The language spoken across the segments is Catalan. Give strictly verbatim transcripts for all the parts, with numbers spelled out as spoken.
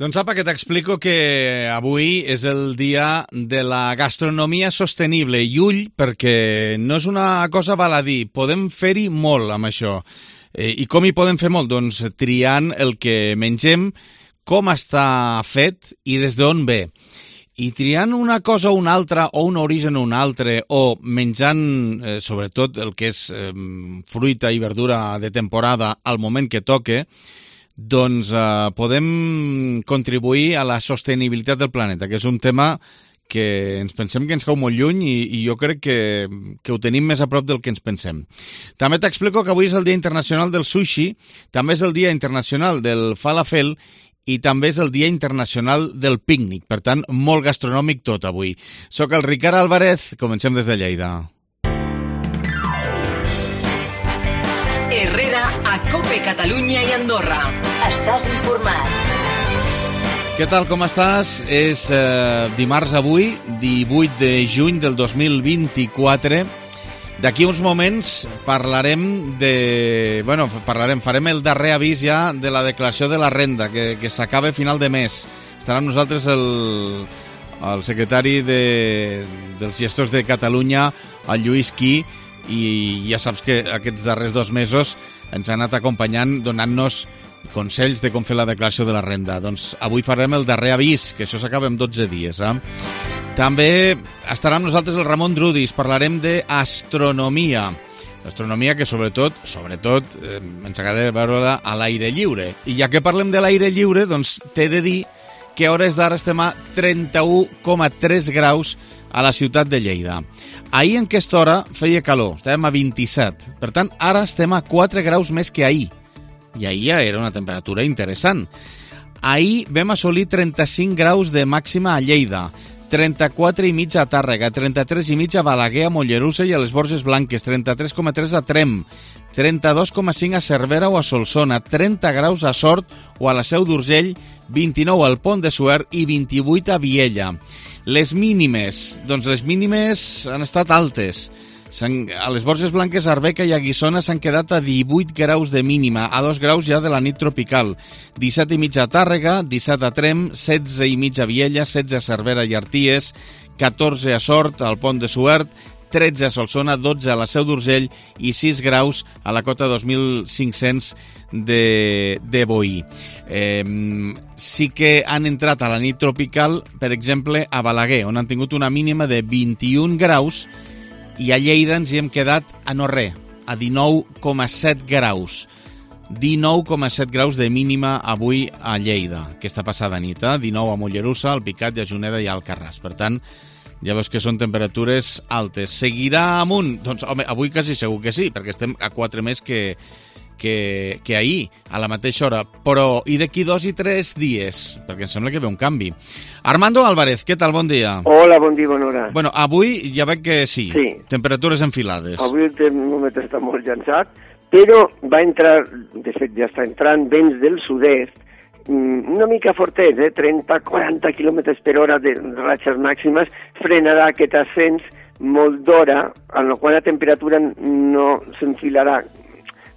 Doncs apa, que t'explico que avui és el dia de la gastronomia sostenible i ull, perquè no és una cosa baladí, podem fer-hi molt amb això. Eh, I com hi podem fer molt? Doncs triant el que mengem, com està fet i des d'on ve. I triant una cosa o una altra, o un origen o un altre, o menjant eh, sobretot el que és eh, fruita i verdura de temporada al moment que toque, doncs eh, podem contribuir a la sostenibilitat del planeta, que és un tema que ens pensem que ens cau molt lluny i, i jo crec que, que ho tenim més a prop del que ens pensem. També t'explico que avui és el Dia Internacional del Sushi, també és el Dia Internacional del Falafel i també és el Dia Internacional del Pícnic. Per tant, molt gastronòmic tot avui. Soc el Ricard Álvarez, comencem des de Lleida. Herrera a Cope Catalunya i Andorra. Estàs informat. Què tal, com estàs? És eh, dimarts avui, divuit de juny del dos mil vint-i-quatre. D'aquí uns moments parlarem de... Bueno, parlarem, farem el darrer avís ja de la declaració de la renda, que, que s'acaba a final de mes. Estarà amb nosaltres el, el secretari de, dels gestors de Catalunya, el Lluís Quí, i ja saps que aquests darrers dos mesos ens ha anat acompanyant donant-nos consells de com fer la declaració de la renda. Doncs avui farem el darrer avís, que això s'acaba en dotze dies. Eh? També estarà amb nosaltres el Ramon Drudis, parlarem d'astronomia. L'astronomia que sobretot, sobretot eh, ens agrada veure-la a l'aire lliure. I ja que parlem de l'aire lliure, doncs t'he de dir que a hores d'ara estem a trenta-u coma tres graus a la ciutat de Lleida. Ahir en aquesta hora feia calor, estàvem a vint-i-set. Per tant, ara estem a quatre graus més que ahir. I ahir ja era una temperatura interessant. Ahir vam assolir trenta-cinc graus de màxima a Lleida, trenta-quatre i mig a Tàrrega, trenta-tres i mig a Balaguer, a Mollerussa i a les Borges Blanques, trenta-tres coma tres a Trem, trenta-dos coma cinc a Cervera o a Solsona, trenta graus a Sort o a la Seu d'Urgell, vint-i-nou al Pont de Suert i vint-i-vuit a Viella. Les mínimes, doncs les mínimes han estat altes. A les Borges Blanques, a Arbeca i a Guissona s'han quedat a divuit graus de mínima, a dos graus ja de la nit tropical. disset i mig a Tàrrega, disset a Trem, setze i mig a Viella, setze a Cervera i Arties, catorze a Sort, al Pont de Suert, tretze a Solsona, dotze a la Seu d'Urgell i sis graus a la cota dos mil cinc-cents de, de Boí. Eh, sí que han entrat a la nit tropical, per exemple, a Balaguer, on han tingut una mínima de vint-i-un graus i a Lleida ens hi hem quedat a no res, a dinou coma set graus. dinou coma set graus de mínima avui a Lleida, aquesta passada nit, eh? dinou a Mollerussa, al Picat, i a Juneda i a Alcarràs. Per tant, ja veus que són temperatures altes. Seguirà amunt? Doncs, home, avui quasi segur que sí, perquè estem a quatre més que, que, que ahir, a la mateixa hora. Però, i d'aquí dos i tres dies? Perquè em sembla que ve un canvi. Armando Álvarez, què tal? Bon dia. Hola, bon dia, bona hora. Bueno, avui ja veig que sí, sí. Temperatures enfilades. Avui el termòmetre està molt llançat, però va entrar, de fet ja està entrant, vents del sud-est, una mica fortets, eh? trenta a quaranta quilòmetres per hora de ratxes màximes, frenarà aquest ascens molt d'hora, en la qual la temperatura no s'enfilarà.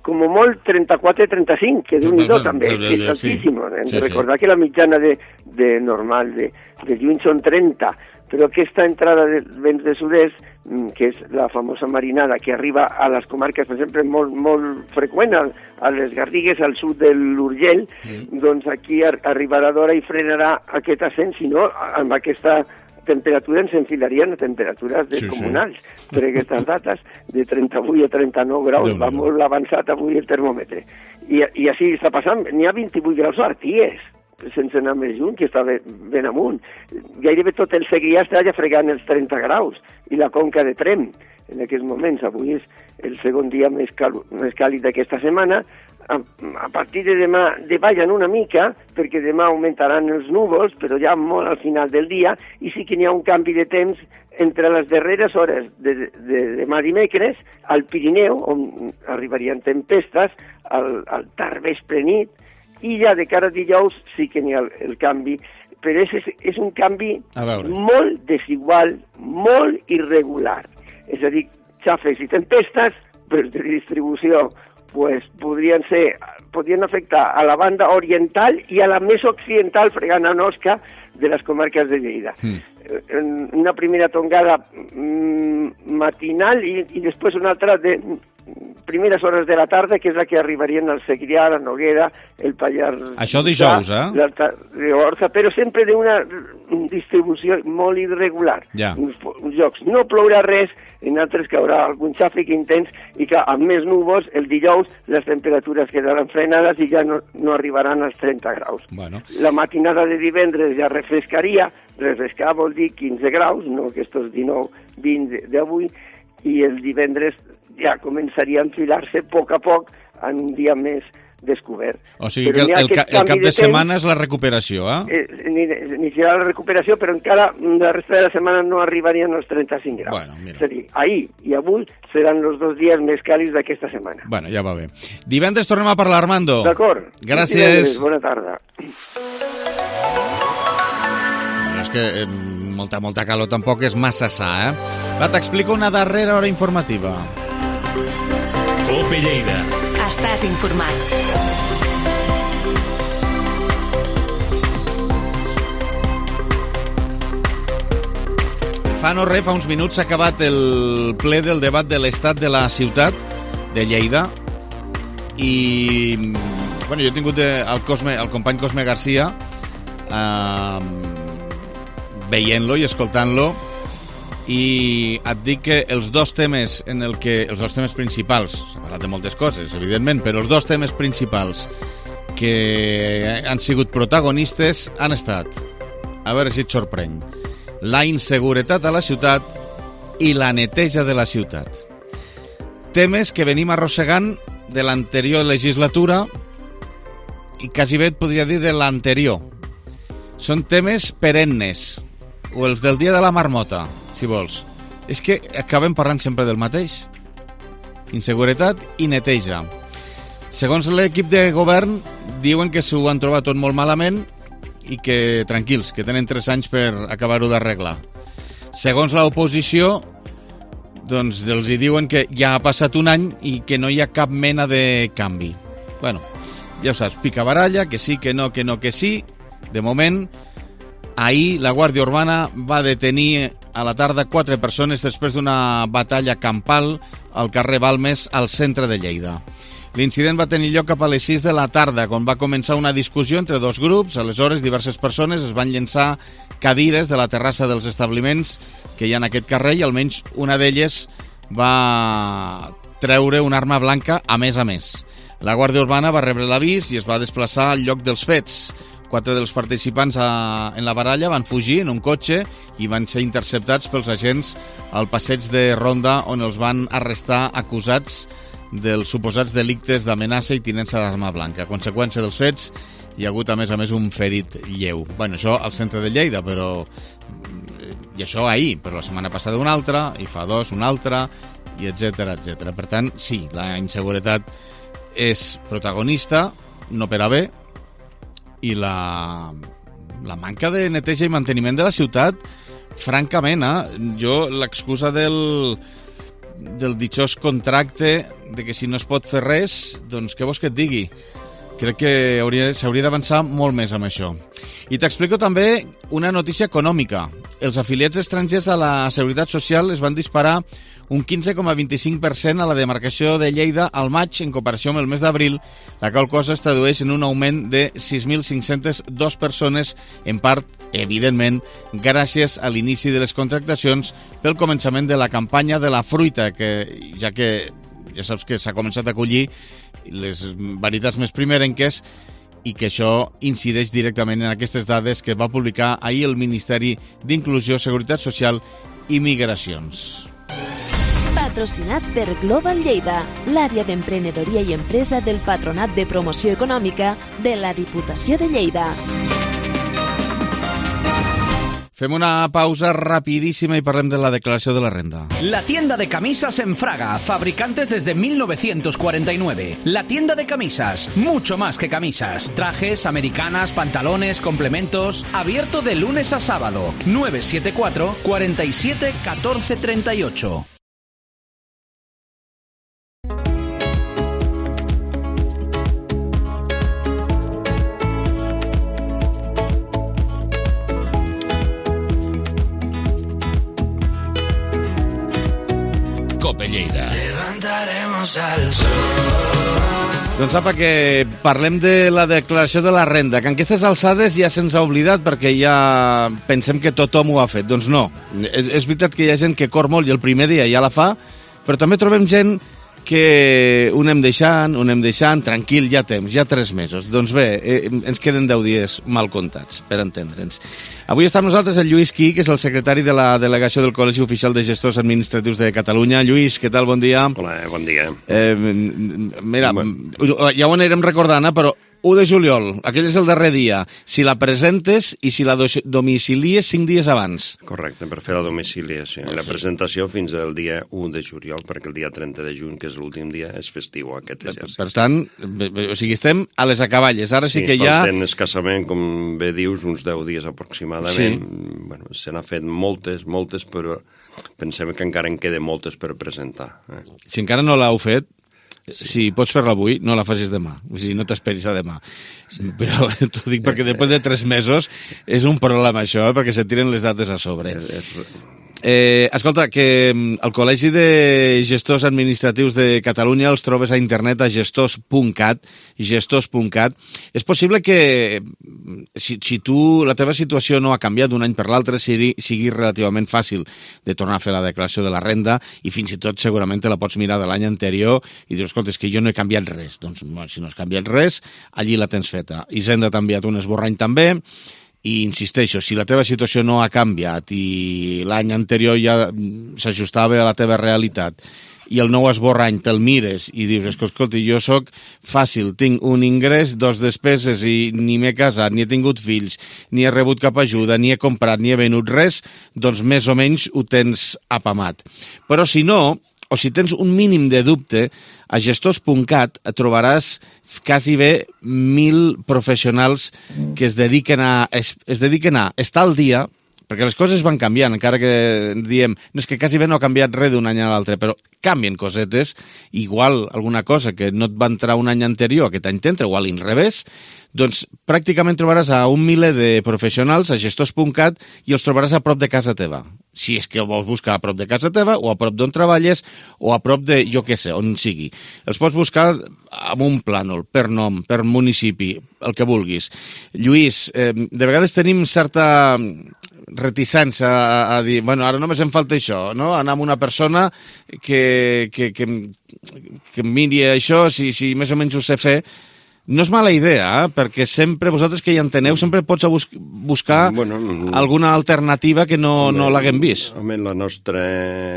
Com molt trenta-quatre a trenta-cinc, que d'un-i-do també, que és altíssim. Hem de recordar que la mitjana de, de normal de, de juny són trenta, però aquesta entrada de vents de sud-est, que és la famosa marinada que arriba a les comarques, per exemple, molt, molt freqüent, a les Garrigues, al sud de l'Urgell, mm. doncs aquí arribarà d'hora i frenarà aquest ascens, si no, amb aquesta temperatura ens enfilarien a temperatures descomunals. Sí, sí. Per aquestes dates, de trenta-vuit a trenta-nou graus, va molt avançat avui el termòmetre. I, i així està passant, n'hi ha vint-i-vuit graus a Arties, sense anar més lluny, que està ben amunt. Gairebé tot el Segrià està ja fregant els trenta graus, i la conca de Trem, en aquests moments. Avui és el segon dia més, cal, més càlid d'aquesta setmana. A, a partir de demà davallen una mica, perquè demà augmentaran els núvols, però ja molt al final del dia, i sí que n'hi ha un canvi de temps entre les darreres hores de, de, de demà dimecres al Pirineu, on arribarien tempestes, al, al tard vespre nit, i ja de cara a dijous sí que n'hi ha el, el canvi, però és, és un canvi molt desigual, molt irregular. És a dir, xafes i tempestes, però de distribució pues podrien ser, podrien afectar a la banda oriental i a la més occidental, fregant a Osca, de les comarques de Lleida. Mm. Una primera tongada mm, matinal i, i després una altra de primeres hores de la tarda, que és la que arribarien al Segrià, la Noguera, el Pallars... Això dijous, eh? L'Alta Ribagorça, però sempre d'una distribució molt irregular. Ja. Uns, uns llocs no plourà res, en altres caurà algun xàfec intens, i que amb més núvols, el dijous, les temperatures quedaran frenades i ja no, no arribaran als trenta graus. Bueno. La matinada de divendres ja refrescaria, refrescar vol dir quinze graus, no aquests dinou vint d'avui, i el divendres ja començaria a enfilar-se a poc a poc en un dia més descobert. O sigui però que el, el, ca, el cap de, de setmana és la recuperació, eh? eh iniciarà la recuperació, però encara la resta de la setmana no arribarien als trenta-cinc graus. Bueno, mira. És a dir, ahir i avui seran els dos dies més càlids d'aquesta setmana. Bueno, ja va bé. Divendres tornem a parlar, Armando. D'acord. Gràcies. Divendres, bona tarda. Però és que eh, molta, molta calor tampoc és massa sa, eh? Va, t'explico una darrera hora informativa. Cope Lleida. Estàs informat. Fa no res, fa uns minuts s'ha acabat el ple del debat de l'estat de la ciutat de Lleida i bueno, jo he tingut el, Cosme, el company Cosme Garcia eh, veient-lo i escoltant-lo i et dic que els dos temes en el que els dos temes principals, s'ha parlat de moltes coses, evidentment, però els dos temes principals que han sigut protagonistes han estat, a veure si et sorprèn, la inseguretat a la ciutat i la neteja de la ciutat. Temes que venim arrossegant de l'anterior legislatura i quasi bé et podria dir de l'anterior. Són temes perennes, o els del dia de la marmota, si vols. És que acabem parlant sempre del mateix. Inseguretat i neteja. Segons l'equip de govern, diuen que s'ho han trobat tot molt malament i que, tranquils, que tenen tres anys per acabar-ho d'arreglar. Segons l'oposició, doncs els hi diuen que ja ha passat un any i que no hi ha cap mena de canvi. Bueno, ja ho saps, picabaralla, que sí, que no, que no, que sí. De moment, ahir la Guàrdia Urbana va detenir a la tarda quatre persones després d'una batalla campal al carrer Balmes, al centre de Lleida. L'incident va tenir lloc cap a les sis de la tarda, quan va començar una discussió entre dos grups. Aleshores, diverses persones es van llençar cadires de la terrassa dels establiments que hi ha en aquest carrer i almenys una d'elles va treure una arma blanca a més a més. La Guàrdia Urbana va rebre l'avís i es va desplaçar al lloc dels fets. Quatre dels participants a, en la baralla van fugir en un cotxe i van ser interceptats pels agents al passeig de Ronda, on els van arrestar acusats dels suposats delictes d'amenaça i tinença d'arma blanca. A conseqüència dels fets, hi ha hagut a més a més un ferit lleu. Bueno, això al centre de Lleida, però... i això ahir, però la setmana passada un altre, i fa dos un altre, i etcètera, etcètera. Per tant, sí, la inseguretat és protagonista, no per a bé, i la, la manca de neteja i manteniment de la ciutat, francament, eh? Jo l'excusa del, del ditxós contracte de que si no es pot fer res, doncs què vols que et digui? Crec que s'hauria d'avançar molt més amb això. I t'explico també una notícia econòmica. Els afiliats estrangers a la Seguretat Social es van disparar un quinze coma vint-i-cinc per cent a la demarcació de Lleida al maig en comparació amb el mes d'abril, la qual cosa es tradueix en un augment de sis mil cinc-centes dues persones, en part, evidentment, gràcies a l'inici de les contractacions pel començament de la campanya de la fruita, que ja que ja saps que s'ha començat a collir les varietats més primerenques i que això incideix directament en aquestes dades que va publicar ahir el Ministeri d'Inclusió, Seguretat Social i Migracions. Patrocinat per Global Lleida, l'àrea d'emprenedoria i empresa del Patronat de Promoció Econòmica de la Diputació de Lleida. Fem una pausa rapidísima y parlem de la declaració de la renda. La tienda de camisas en Fraga, fabricantes desde mil novecientos cuarenta y nueve. La tienda de camisas, mucho más que camisas. Trajes, americanas, pantalones, complementos. Abierto de lunes a sábado. nueve siete cuatro, cuarenta y siete, catorce treinta y ocho. irnos al sol. Doncs apa, que parlem de la declaració de la renda, que en aquestes alçades ja se'ns ha oblidat perquè ja pensem que tothom ho ha fet. Doncs no, és veritat que hi ha gent que cor molt i el primer dia ja la fa, però també trobem gent que ho anem deixant, ho anem deixant, tranquil, ja temps, ja tres mesos. Doncs bé, eh, ens queden deu dies mal comptats, per entendre'ns. Avui està amb nosaltres el Lluís Quí, que és el secretari de la delegació del Col·legi Oficial de Gestors Administratius de Catalunya. Lluís, què tal? Bon dia. Hola, bon dia. Eh, mira, bueno. Ja ho anirem recordant, però u de juliol, aquell és el darrer dia. Si la presentes i si la domicilies cinc dies abans. Correcte, per fer la domiciliació. I la presentació fins al dia u de juliol, perquè el dia trenta de juny, que és l'últim dia, és festiu aquest exercici. Per tant, o sigui, estem a les acaballes. Ara sí, sí que ja... Sí, falten escassament, com bé dius, uns deu dies aproximadament. Sí. Bueno, se n'ha fet moltes, moltes, però pensem que encara en queden moltes per presentar. Eh? Si encara no l'heu fet, sí. Si pots fer-la avui, no la facis demà. O sigui, no t'esperis a demà. Sí. Però t'ho dic perquè després de tres mesos és un problema això, eh? Perquè se tiren les dates a sobre. És, és... Eh, escolta, que el Col·legi de Gestors Administratius de Catalunya els trobes a internet a gestors punt cat, gestors punt cat. És possible que si, si tu, la teva situació no ha canviat d'un any per l'altre, sigui, sigui relativament fàcil de tornar a fer la declaració de la renda i fins i tot segurament te la pots mirar de l'any anterior i dius, escolta, és que jo no he canviat res. Doncs bueno, si no has canviat res, allí la tens feta. Hisenda t'ha enviat un esborrany també. I insisteixo, si la teva situació no ha canviat i l'any anterior ja s'ajustava a la teva realitat i el nou esborrany te'l mires i dius, escolta, jo sóc fàcil, tinc un ingrés, dos despeses i ni m'he casat, ni he tingut fills, ni he rebut cap ajuda, ni he comprat, ni he venut res, doncs més o menys ho tens apamat. Però si no, o si tens un mínim de dubte, a gestors punt cat trobaràs quasi bé mil professionals que es dediquen a, es, es dediquen a estar al dia, perquè les coses van canviant, encara que diem, no és que quasi bé no ha canviat res d'un any a l'altre, però canvien cosetes, igual alguna cosa que no et va entrar un any anterior, aquest any t'entra, o a l'inrevés, doncs pràcticament trobaràs a un miler de professionals a gestors punt cat i els trobaràs a prop de casa teva. Si és que vols buscar a prop de casa teva o a prop d'on treballes o a prop de, jo què sé, on sigui. Els pots buscar amb un plànol, per nom, per municipi, el que vulguis. Lluís, eh, de vegades tenim certa reticència a, a dir, bueno, ara només em falta això, no? Anar amb una persona que, que, que, que miri això, si, si més o menys ho sé fer. No és mala idea, eh? Perquè sempre, vosaltres que hi enteneu, sempre pots bus buscar bueno, alguna alternativa que no, home, no l'haguem vist. Home, la nostra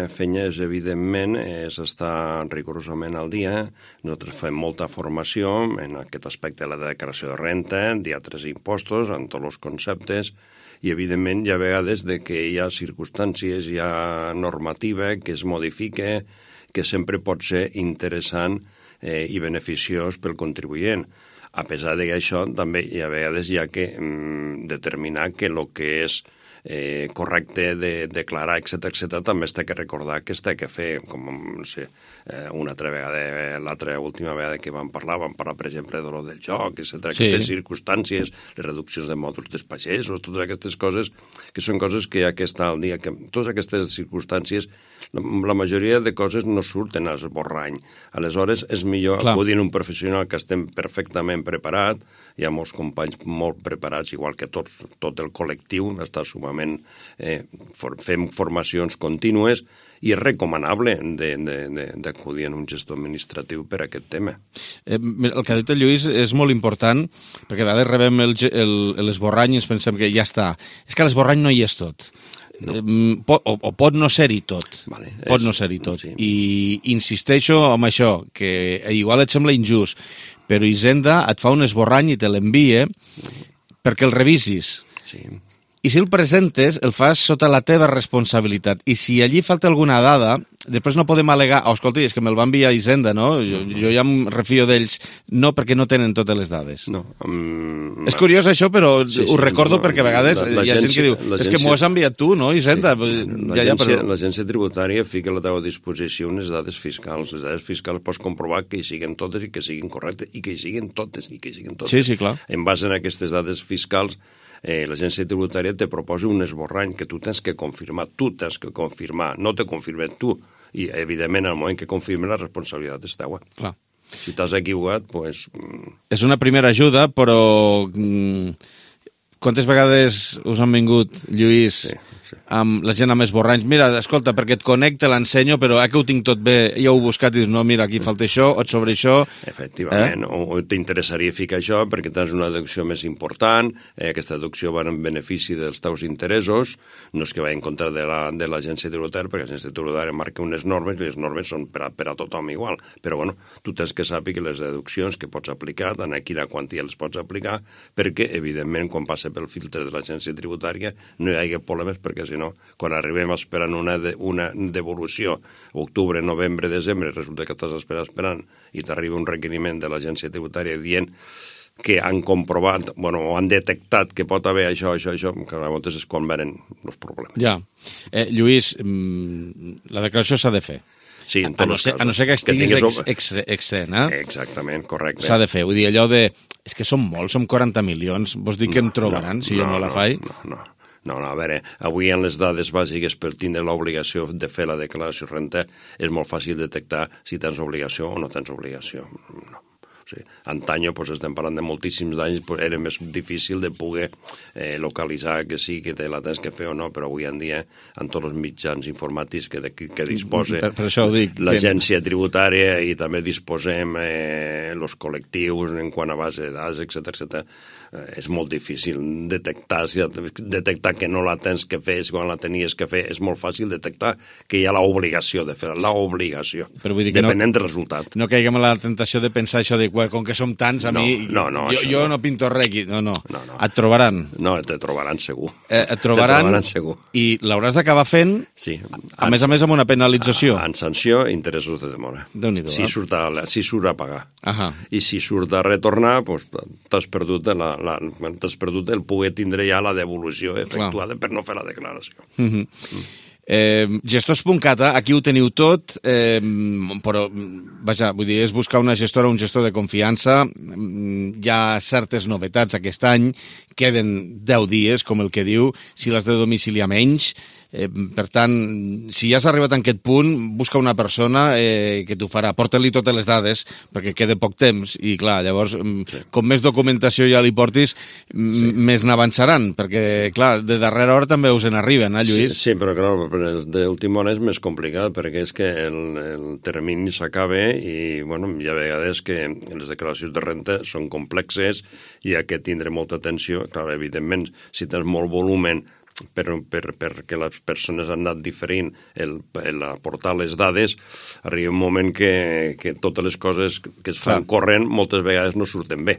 feina és, evidentment, és estar rigorosament al dia. Nosaltres fem molta formació en aquest aspecte de la declaració de renta, d'altres impostos, en tots els conceptes, i, evidentment, hi ha vegades de que hi ha circumstàncies, hi ha normativa que es modifica, que sempre pot ser interessant Eh, i beneficiós pel contribuent. A pesar d'això, també hi ha vegades hi ha que mm, determinar que el que és eh, correcte de declarar, etcètera, etcètera, també es té que recordar que es té que fer, com no sé, eh, una altra vegada, l'altra última vegada que vam parlar, vam parlar, per exemple, de lo del joc, etcètera, sí. Aquestes circumstàncies, les reduccions de mòduls dels pagesos, totes aquestes coses, que són coses que hi ha que estar al dia, que totes aquestes circumstàncies, la, la majoria de coses no surten a l'esborrany. Aleshores, és millor Clar. acudir a un professional que estem perfectament preparat, hi ha molts companys molt preparats, igual que tots, tot el col·lectiu, està sumament, eh, for, fem formacions contínues, i és recomanable d'acudir a un gestor administratiu per a aquest tema. Eh, el que ha dit el Lluís és molt important, perquè a vegades rebem l'esborrany i ens pensem que ja està. És que l'esborrany no hi és tot. No. Eh, pot, o, o pot no ser-hi tot. Vale, pot és, no ser-hi tot. Sí. I insisteixo amb això, que igual et sembla injust, però Hisenda et fa un esborrany i te l'envia perquè el revisis. Sí. I si el presentes, el fas sota la teva responsabilitat. I si allí falta alguna dada, després no podem al·legar, oh, escolta, és que me'l va enviar Hisenda, no? Jo, jo ja em refio d'ells. No, perquè no tenen totes les dades. No. Um, és curiós això, però sí, sí, ho recordo no, perquè a vegades hi ha gent que diu, és que m'ho has enviat tu, no, Hisenda? Sí, ja, ja, però... L'agència tributària fica a la teva disposició unes dades fiscals. Les dades fiscals pots comprovar que hi siguin totes i que siguin correctes, i que hi siguin totes, i que hi siguin totes. Sí, sí, clar. En base a aquestes dades fiscals, eh, l'agència tributària te proposa un esborrany que tu tens que confirmar, tu tens que confirmar, no te confirmes tu, I, evidentment, en el moment que confirmen, la responsabilitat és teua. Clar. Si t'has equivocat, doncs... Pues... És una primera ajuda, però... Quantes vegades us han vingut, Lluís, sí, sí. amb la gent amb esborranys? Mira, escolta, perquè et connecte, l'ensenyo, però eh, que ho tinc tot bé, ja ho he buscat i dius, no, mira, aquí falta això, o sobre això... Efectivament, eh? o t'interessaria ficar això perquè tens una deducció més important, eh, aquesta deducció va en benefici dels teus interessos, no és que va en contra de l'agència la, tributària, perquè l'agència tributària marca unes normes i les normes són per a, per a tothom igual, però bueno, tu tens que saber que les deduccions que pots aplicar, tant a quina quantia les pots aplicar, perquè, evidentment, quan passa pel filtre de l'agència tributària no hi hagi problemes, perquè si no, quan arribem esperant una, de, una devolució, octubre, novembre, desembre, resulta que estàs esperant, esperant i t'arriba un requeriment de l'agència tributària dient que han comprovat, bueno, o han detectat que pot haver això, això, això, que a vegades és quan venen els problemes. Ja. Eh, Lluís, la declaració s'ha de fer. Sí, en a, no ser, a no ser que estiguis que ex, ex, excent, eh? Exactament, correcte. S'ha de fer. Vull dir, allò de... És que som molts, som quaranta milions. Vols dir que no, em trobaran no, si no, jo no la faig? No, no, no, no, a veure, avui en les dades bàsiques per tindre l'obligació de fer la declaració de renta és molt fàcil detectar si tens obligació o no tens obligació. No. O sigui, antanyo, doncs, estem parlant de moltíssims anys, doncs, era més difícil de poder eh, localitzar que sí, que te la tens que fer o no, però avui en dia, amb tots els mitjans informàtics que, de, que disposa per, per això ho dic, l'agència tributària i també disposem eh, els col·lectius en quant a base de dades, etcètera, etcètera, eh, és molt difícil detectar, si, detectar que no la tens que fer, quan la tenies que fer, és molt fàcil detectar que hi ha l'obligació de fer, l'obligació, depenent no, del resultat. No caiguem en la tentació de pensar això de com que som tants, a no, mi, no, no, jo, jo no. no pinto res aquí. No, no, no, no. Et trobaran. No, et trobaran segur. Eh, et trobaran, trobaran segur. I l'hauràs d'acabar fent, sí. a en, més a més amb una penalització. En sanció i interessos de demora. Déu-n'hi-do, si, eh? surt a, si surt a pagar. Ahà. I si surt a retornar, doncs, t'has perdut, la, la, t'has perdut el poder tindre ja la devolució efectuada Clar. Per no fer la declaració. Mm-hmm. Mm. Eh, gestors punt cat, aquí ho teniu tot, eh, però, vaja, vull dir, és buscar una gestora o un gestor de confiança. Hi ha certes novetats aquest any, queden deu dies, com el que diu, si l'has de domiciliar menys. Eh, per tant, si ja has arribat a aquest punt, busca una persona eh, que t'ho farà. Porta-li totes les dades, perquè queda poc temps, i clar, llavors, sí. com més documentació ja li portis, sí. més n'avançaran, perquè, clar, de darrera hora també us en arriben, eh, Lluís? Sí, sí, però clar, d'última hora és més complicat, perquè és que el, el termini s'acaba i, bueno, hi ha vegades que les declaracions de renta són complexes i hi ha que tindre molta atenció. Clar, evidentment, si tens molt volumen, per, per, perquè les persones han anat diferint el, el aportar les dades, arriba un moment que, que totes les coses que es fan Clar. corrent moltes vegades no surten bé.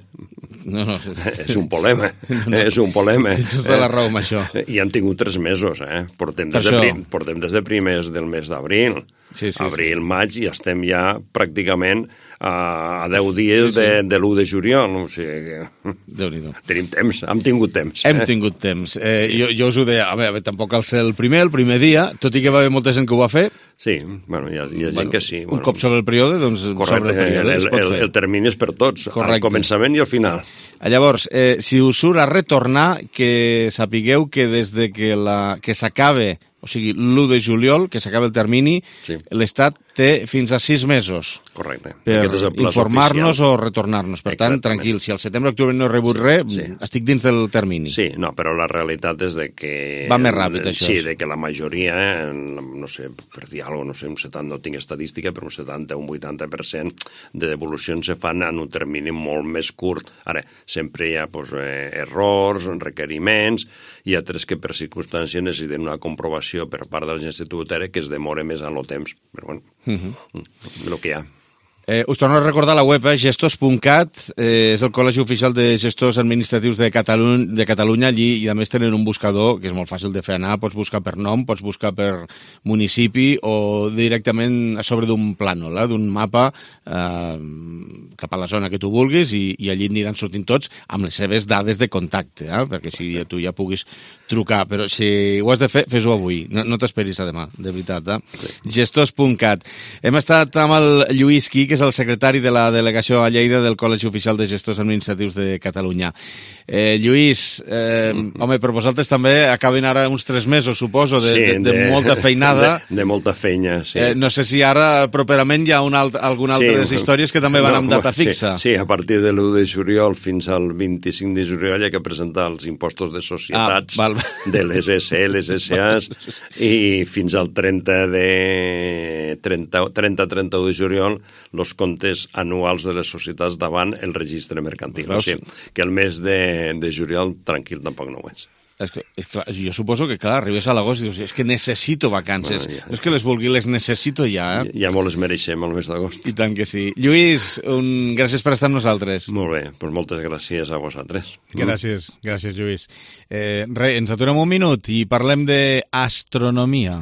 No, no. És un problema, no, no. és un problema. Tens tota la raó amb això. I han tingut tres mesos, eh? Portem des, de, prim, portem des de primers del mes d'abril. Sí, sí, abril, sí. maig, i estem ja pràcticament a, a deu dies sí, sí. de, de l'u de juliol. O sigui, Déu-n'hi-do. Tenim temps, hem tingut temps. Hem eh? tingut temps. Eh, sí. jo, jo us ho deia, a veure, tampoc cal ser el primer, el primer dia, tot i que va haver molta gent que ho va fer. Sí, bueno, hi ha, hi ha gent bueno, que sí. Un bueno. cop sobre el període, doncs Correcte, sobre el període el, el, el termini és per tots, Correcte. al començament i al final. Llavors, eh, si us surt a retornar, que sapigueu que des de que, la, que s'acabe, o sigui, l'u de juliol, que s'acaba el termini, sí. l'Estat té fins a sis mesos Correcte. per informar-nos o retornar-nos. Per tant, Exactament. tranquil, si al setembre-octubre no he rebut res, sí. estic dins del termini. Sí, no, però la realitat és de que... Va més ràpid, això. Sí, de que la majoria, no sé, per dir alguna cosa, no sé, un setanta, no tinc estadística, però un setanta o un vuitanta per cent de devolucions se fan en un termini molt més curt. Ara, sempre hi ha pues, eh, errors, requeriments, hi ha tres que per circumstàncies necessiten una comprovació per part de l'agència tributària que es demora més en el temps. Però bueno, uh-huh. el que hi ha. Eh, us torno a recordar la web, eh, gestors punt cat, eh, és el Col·legi Oficial de Gestors Administratius de, Catalu de Catalunya, allí, i a més tenen un buscador que és molt fàcil de fer anar, pots buscar per nom, pots buscar per municipi o directament a sobre d'un plànol, eh, d'un mapa eh, cap a la zona que tu vulguis, i, i allí aniran sortint tots amb les seves dades de contacte, eh, perquè si tu ja puguis trucar, però si ho has de fer, fes-ho avui, no, no t'esperis a demà, de veritat. Eh? Sí. gestors punt cat. Hem estat amb el Lluís Qui, que és el secretari de la delegació a Lleida del Col·legi Oficial de Gestors Administratius de Catalunya. Eh, Lluís, eh, home, per vosaltres també acaben ara uns tres mesos, suposo, de, sí, de, de, de molta feinada. De, de molta feina, sí. Eh, no sé si ara properament hi ha una alt, alguna sí, altres històries que també van no, amb data fixa. Sí, sí, a partir de l'u de juliol fins al vint-i-cinc de juliol hi ha que presentar els impostos de societats ah, de les S L, les S As, i fins al trenta de trenta trenta-trenta-u de juliol els comptes anuals de les societats davant el registre mercantil. O sigui, que el mes de, de juliol tranquil tampoc no ho és. És que, és clar, jo suposo que, clar, arribes a l'agost i dius, és que necessito vacances. Bueno, ja. No és que les vulgui, les necessito ja. Eh? Ja, ja molt les mereixem el mes d'agost. I tant que sí. Lluís, un... gràcies per estar amb nosaltres. Molt bé, doncs moltes gràcies a vosaltres. Gràcies, gràcies, Lluís. Eh, re, ens aturem un minut i parlem d'astronomia.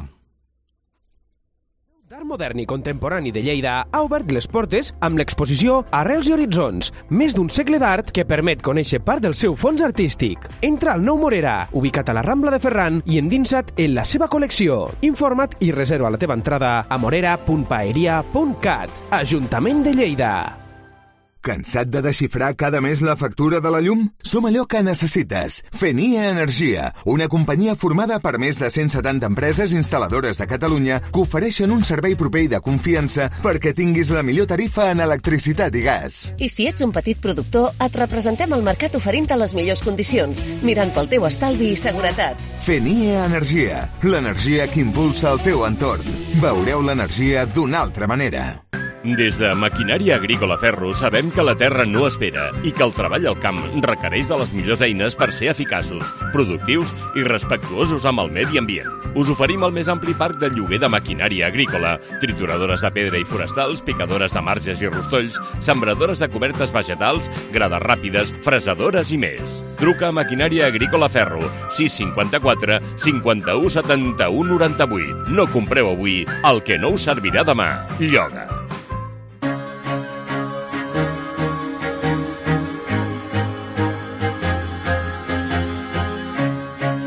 D'Art Modern i Contemporani de Lleida ha obert les portes amb l'exposició Arrels i Horitzons, més d'un segle d'art que permet conèixer part del seu fons artístic. Entra al Nou Morera, ubicat a la Rambla de Ferran i endinsa't en la seva col·lecció. Informa't i reserva la teva entrada a morera punt paeria punt cat. Ajuntament de Lleida. Cansat de desxifrar cada mes la factura de la llum? Som allò que necessites. Fenia Energia, una companyia formada per més de cent setanta empreses instal·ladores de Catalunya que ofereixen un servei proper i de confiança perquè tinguis la millor tarifa en electricitat i gas. I si ets un petit productor, et representem al mercat oferint-te les millors condicions, mirant pel teu estalvi i seguretat. Fenia Energia, l'energia que impulsa el teu entorn. Veureu l'energia d'una altra manera. Des de Maquinària Agrícola Ferro sabem que la terra no espera i que el treball al camp requereix de les millors eines per ser eficaços, productius i respectuosos amb el medi ambient. Us oferim el més ampli parc de lloguer de maquinària agrícola, trituradores de pedra i forestals, picadores de marges i rostolls, sembradores de cobertes vegetals, grades ràpides, fresadores i més. Truca a Maquinària Agrícola Ferro, sis cinquanta-quatre cinquanta-u setanta-u noranta-vuit. No compreu avui el que no us servirà demà. Lloga.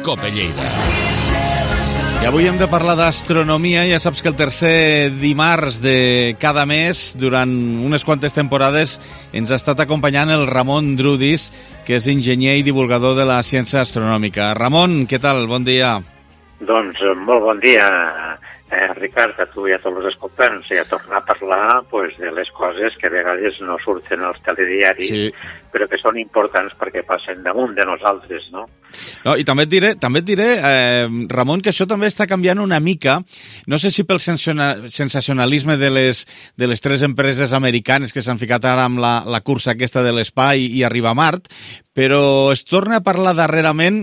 Cope Lleida. I avui hem de parlar d'astronomia. Ja saps que el tercer dimarts de cada mes, durant unes quantes temporades, ens ha estat acompanyant el Ramon Drudis, que és enginyer i divulgador de la ciència astronòmica. Ramon, què tal? Bon dia. Doncs molt bon dia, eh, Ricard, a tu i a tots els escoltants, i a tornar a parlar pues, de les coses que a vegades no surten als telediaris, sí, però que són importants perquè passen damunt de nosaltres, no? No, i també et diré, també et diré eh, Ramon, que això també està canviant una mica. No sé si pel sensacionalisme de les, de les tres empreses americanes que s'han ficat ara amb la, la cursa aquesta de l'espai i arribar a Mart, però es torna a parlar darrerament,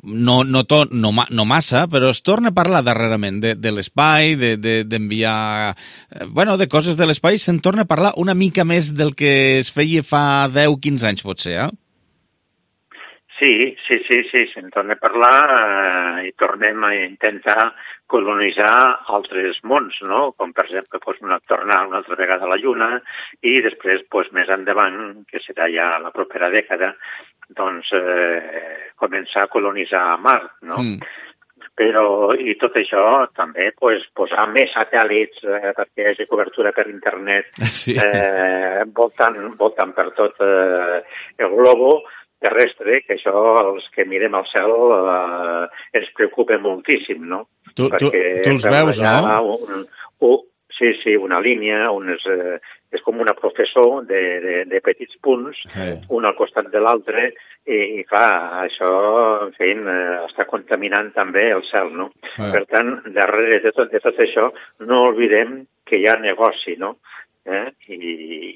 no, no, to, no, no massa, però es torna a parlar darrerament de, de l'espai, d'enviar... De, de, bueno, de coses de l'espai, se'n torna a parlar una mica més del que es feia fa deu a quinze anys, potser, eh? Sí, sí, sí, sí, se'n torna a parlar eh, i tornem a intentar colonitzar altres mons, no? Com per exemple pues, una, tornar una altra vegada a la Lluna i després pues, més endavant, que serà ja la propera dècada, doncs eh, començar a colonitzar Mart, no? Mm. Però, i tot això també pues, posar més satèl·lits eh, perquè hi hagi cobertura per internet, sí, eh, voltant, voltant per tot eh, el globo terrestre, que això, els que mirem al cel, eh, ens preocupa moltíssim, no? Tu, tu, tu els veus, no? Un, un, sí, sí, una línia, unes, eh, és com una professor de, de, de petits punts, hey, un al costat de l'altre, i, i clar, això, en fi, eh, està contaminant també el cel, no? Hey. Per tant, darrere de tot, de tot això, no oblidem que hi ha negoci, no? Eh? I,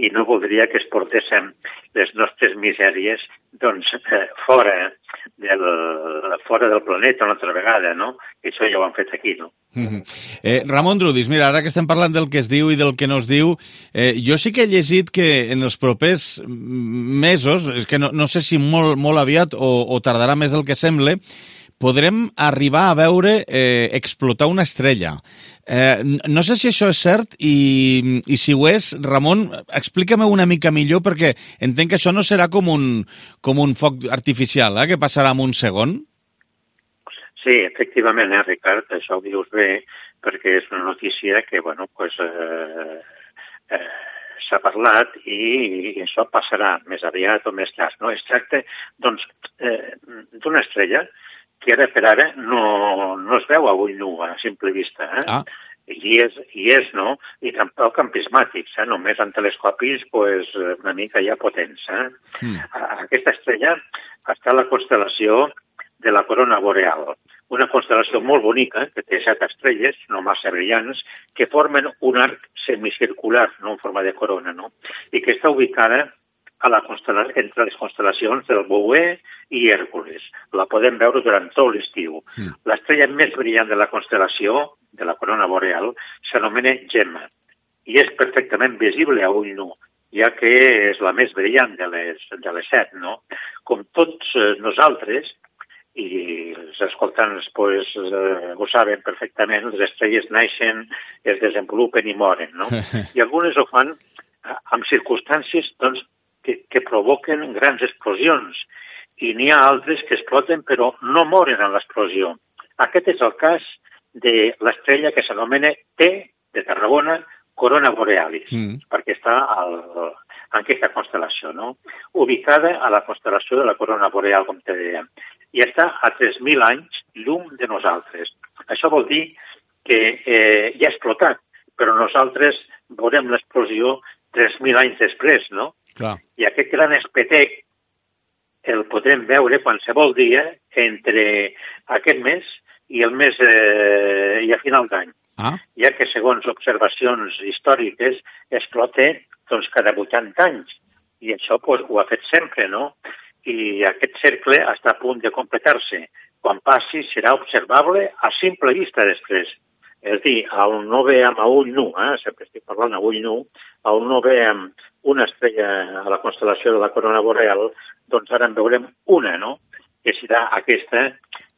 i no voldria que es portéssim les nostres misèries doncs, eh, fora, del, fora del planeta una altra vegada, no? I això ja ho han fet aquí, no? Mm-hmm. eh, Ramon Drudis, mira, ara que estem parlant del que es diu i del que no es diu, eh, jo sí que he llegit que en els propers mesos, és que no, no sé si molt, molt aviat o, o tardarà més del que sembla, podrem arribar a veure eh, explotar una estrella. Eh, no sé si això és cert i, i si ho és, Ramon, explica-me una mica millor perquè entenc que això no serà com un, com un foc artificial, eh, que passarà en un segon. Sí, efectivament, eh, Ricard, això ho dius bé perquè és una notícia que, bueno, pues, eh, eh, s'ha parlat i, i això passarà més aviat o més tard. No? Es tracta doncs, eh, d'una estrella que ara per ara no, no es veu a ull nu, a simple vista. Eh? Ah. I és, i és, no? I tampoc amb prismàtics, eh? Només amb telescopis pues, una mica ja potents. Eh? Mm. Aquesta estrella està a la constel·lació de la Corona Boreal, una constel·lació molt bonica, que té set estrelles, no massa brillants, que formen un arc semicircular, no en forma de corona, no? I que està ubicada a la constel·la- entre les constel·lacions del Bouer i Hèrcules. La podem veure durant tot l'estiu. Mm. L'estrella més brillant de la constel·lació, de la Corona Boreal, s'anomena Gemma, i és perfectament visible a ull nu, ja que és la més brillant de les, de les set, no? Com tots eh, nosaltres, i els escoltants pues, eh, ho saben perfectament, les estrelles naixen, es desenvolupen i moren, no? I algunes ho fan amb circumstàncies doncs, que, que provoquen grans explosions, i n'hi ha altres que exploten però no moren en l'explosió. Aquest és el cas de l'estrella que s'anomena T de Tarragona, Corona Borealis, mm. perquè està al, en aquesta constel·lació, no? Ubicada a la constel·lació de la Corona Boreal, com te deia, i està a tres mil anys llum de nosaltres. Això vol dir que eh, ja ha explotat, però nosaltres veurem l'explosió tres mil anys després, no? Clar. I aquest gran espetec el podrem veure qualsevol dia entre aquest mes i el mes eh, i a final d'any. Ah. Ja que segons observacions històriques explota doncs, cada vuitanta anys. I això pues, ho ha fet sempre, no? I aquest cercle està a punt de completar-se. Quan passi serà observable a simple vista després. És a dir, on no veiem a ull nu, eh? Sempre estic parlant a ull nu, on no veiem una estrella a la constel·lació de la Corona Boreal, doncs ara en veurem una, no? Que serà aquesta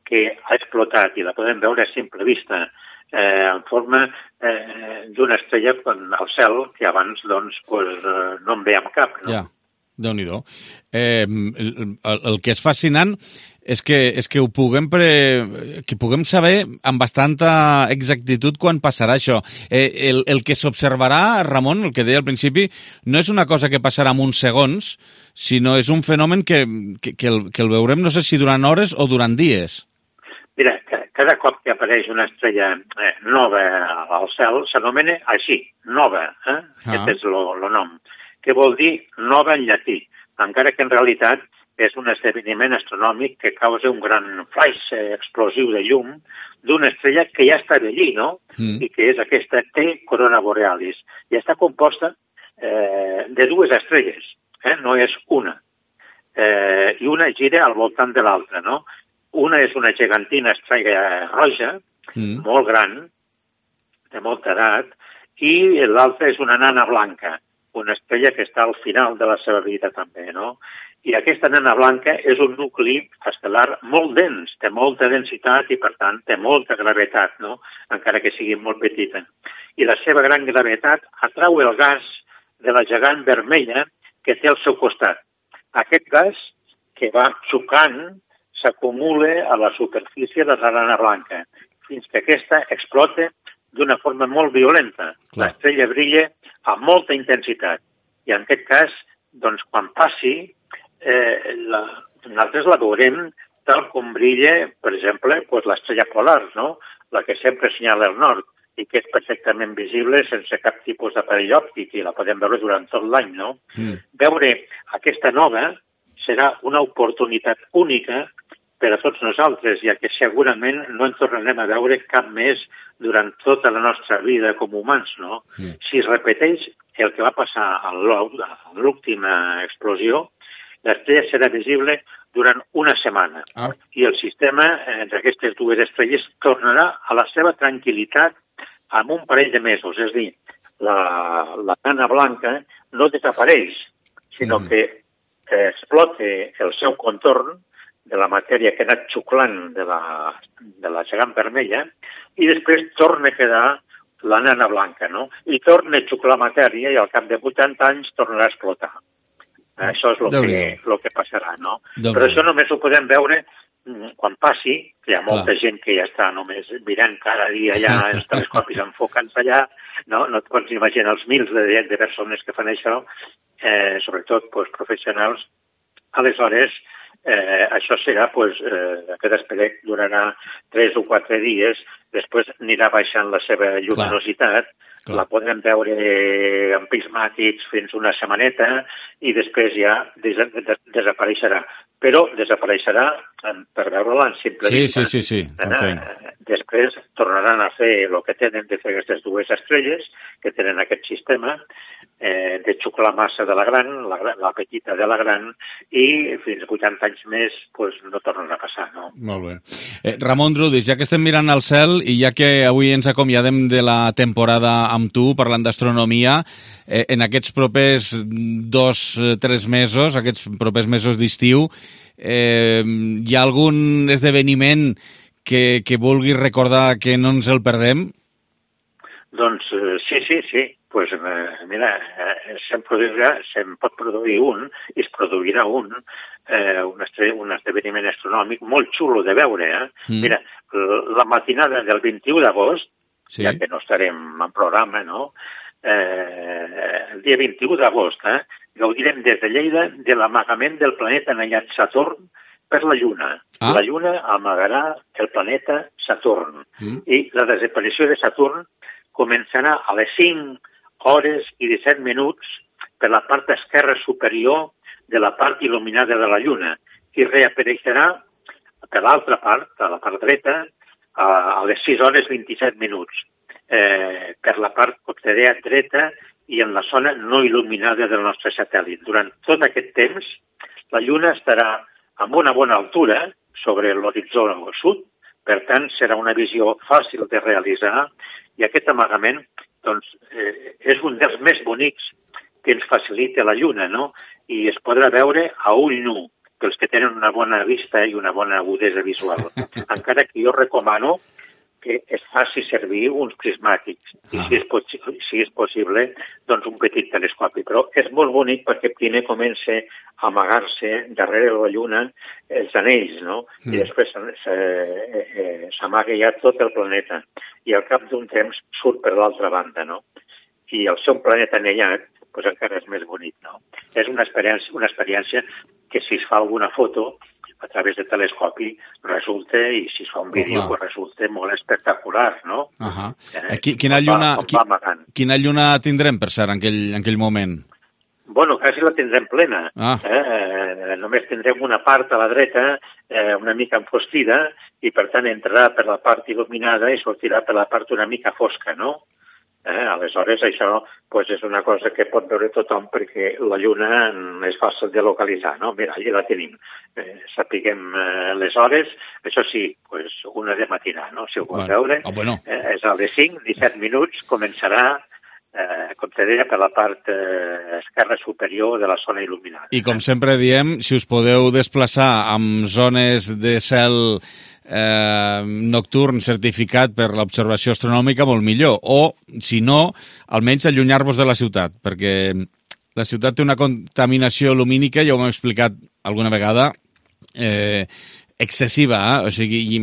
que ha explotat i la podem veure a simple vista, eh, en forma eh, d'una estrella al cel que abans doncs, pues, eh, no en veiem cap, no? Ja. Déu-n'hi-do. Eh, el, el, el que és fascinant és que, és que ho puguem, pre, que puguem saber amb bastanta exactitud quan passarà això. Eh, el, el que s'observarà, Ramon, el que deia al principi, no és una cosa que passarà en uns segons, sinó és un fenomen que, que, que, el, que el veurem, no sé si durant hores o durant dies. Mira, cada cop que apareix una estrella eh, nova al cel s'anomena així, nova, eh? Ah. Aquest és el nom, que vol dir nova en llatí, encara que en realitat és un esdeveniment astronòmic que causa un gran flaix explosiu de llum d'una estrella que ja està allí, no? Mm. I que és aquesta T Corona Borealis. I està composta eh, de dues estrelles, eh? No és una. Eh, I una gira al voltant de l'altra, no? Una és una gegantina estrella roja, mm. molt gran, de molta edat, i l'altra és una nana blanca, una estrella que està al final de la seva vida també, no? I aquesta nana blanca és un nucli estel·lar molt dens, té molta densitat i, per tant, té molta gravetat, no? Encara que sigui molt petita. I la seva gran gravetat atrau el gas de la gegant vermella que té al seu costat. Aquest gas, que va xocant, s'acumula a la superfície de la nana blanca, fins que aquesta explota d'una forma molt violenta. Clar. L'estrella brilla amb molta intensitat. I en aquest cas, doncs, quan passi, eh, la, nosaltres la veurem tal com brilla, per exemple, pues, l'estrella polar, no? La que sempre assenyala el nord i que és perfectament visible sense cap tipus d'aparell òptic i la podem veure durant tot l'any, no? Mm. Veure aquesta nova serà una oportunitat única per a tots nosaltres, ja que segurament no en tornarem a veure cap més durant tota la nostra vida com humans, no? Mm. Si es repeteix el que va passar a l'última explosió, l'estrella serà visible durant una setmana. Ah. I el sistema entre aquestes dues estrelles tornarà a la seva tranquil·litat en un parell de mesos. És a dir, la, la nana blanca no desapareix, sinó mm. que explota el seu contorn de la matèria que ha anat xuclant de la, de la gegant vermella i després torna a quedar la nana blanca, no? I torna a xuclar matèria i al cap de vuitanta anys tornarà a explotar. Això és el que, lo que passarà, no? Déu Però això només ho podem veure quan passi, que hi ha molta Clar. gent que ja està només mirant cada dia allà els telescopis enfocant-se allà, no, no et pots imaginar els mils de, de persones que fan això, eh, sobretot pues, professionals. Aleshores, eh, això serà, pues, eh, aquest espelec durarà tres o quatre dies, després anirà baixant la seva lluminositat, Clar. la podrem veure amb prismàtics fins una setmaneta i després ja des des desapareixerà. Però desapareixerà per veure-la en simple sí, vista. Sí, sí, sí, eh, després tornaran a fer el que tenen de fer aquestes dues estrelles, que tenen aquest sistema, eh, de xuclar massa de la gran, la, la petita de la gran, i fins a vuitanta anys més pues, no tornen a passar. No? Molt bé. Eh, Ramon Drudis, ja que estem mirant al cel i ja que avui ens acomiadem de la temporada amb tu, parlant d'astronomia, eh, en aquests propers dos, tres mesos, aquests propers mesos d'estiu, eh, hi ha algun esdeveniment que, que vulguis recordar que no ens el perdem? Doncs eh, sí, sí, sí. Pues, eh, mira, eh, se'n produirà, se'n pot produir un, i es produirà un, eh, un, un esdeveniment astronòmic molt xulo de veure. Eh? Mm. Mira, la matinada del vint-i-u d'agost, sí. ja que no estarem en programa, no? Eh, el dia vint-i-u d'agost, eh, gaudirem des de Lleida de l'amagament del planeta anellat Saturn per la Lluna. Ah. La Lluna amagarà el planeta Saturn. Mm. I la desaparició de Saturn començarà a les cinc hores i disset minuts per la part esquerra superior de la part il·luminada de la Lluna i reapareixerà per l'altra part, a la part dreta, a les sis hores vint-i-set minuts, eh, per la part costanera dreta i en la zona no il·luminada del nostre satèl·lit. Durant tot aquest temps, la Lluna estarà amb una bona altura sobre l'horitzó sud, per tant, serà una visió fàcil de realitzar i aquest amagament doncs, eh, és un dels més bonics que ens facilita la Lluna, no? I es podrà veure a ull nu, pels que tenen una bona vista i una bona agudesa visual. Encara que jo recomano que es faci servir uns prismàtics i, si és, si és possible, doncs un petit telescopi. Però és molt bonic perquè primer comença a amagar-se darrere de la Lluna els anells, no? Mm. I després s'amaga ja tot el planeta. I al cap d'un temps surt per l'altra banda, no? I el seu planeta anellat doncs encara és més bonic, no? És una experiència, una experiència que si es fa alguna foto a través de telescopi resulta, i si es fa un vídeo, oh, pues resulta molt espectacular, no? Uh -huh. eh, quina, lluna, va, quina lluna tindrem, per cert, en aquell, en aquell moment? Bueno, quasi la tindrem plena. Ah. Eh, eh, només tindrem una part a la dreta eh, una mica enfosquida i, per tant, entrarà per la part il·luminada i sortirà per la part una mica fosca, no? Eh, aleshores, això pues, és una cosa que pot veure tothom perquè la Lluna és fàcil de localitzar, no? Mira, allà la tenim. Eh, sapiguem eh, les hores, això sí, pues, una de matinar, no? Si ho pot bueno. veure, oh, bueno. eh, és a les cinc, disset minuts, començarà, eh, com te deia, per la part eh, esquerra superior de la zona il·luminada. I com sempre diem, si us podeu desplaçar amb zones de cel Eh, nocturn certificat per l'observació astronòmica, molt millor, o si no, almenys allunyar-vos de la ciutat, perquè la ciutat té una contaminació lumínica, ja ho hem explicat alguna vegada, eh, excessiva, eh? O sigui,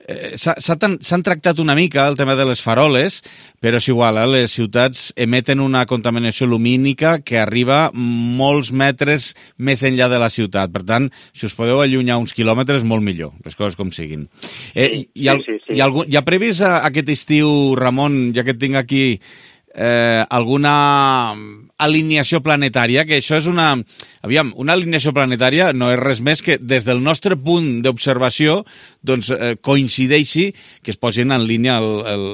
eh, s'han tractat una mica el tema de les faroles, però és igual, eh? Les ciutats emeten una contaminació lumínica que arriba molts metres més enllà de la ciutat. Per tant, si us podeu allunyar uns quilòmetres, molt millor, les coses com siguin. Eh, hi, ha, sí, sí, sí. Hi, ha algun, hi ha previst aquest estiu, Ramon, ja que et tinc aquí, eh, alguna alineació planetària, que això és una... Aviam, una alineació planetària no és res més que des del nostre punt d'observació doncs, eh, coincideixi que es posin en línia el, el,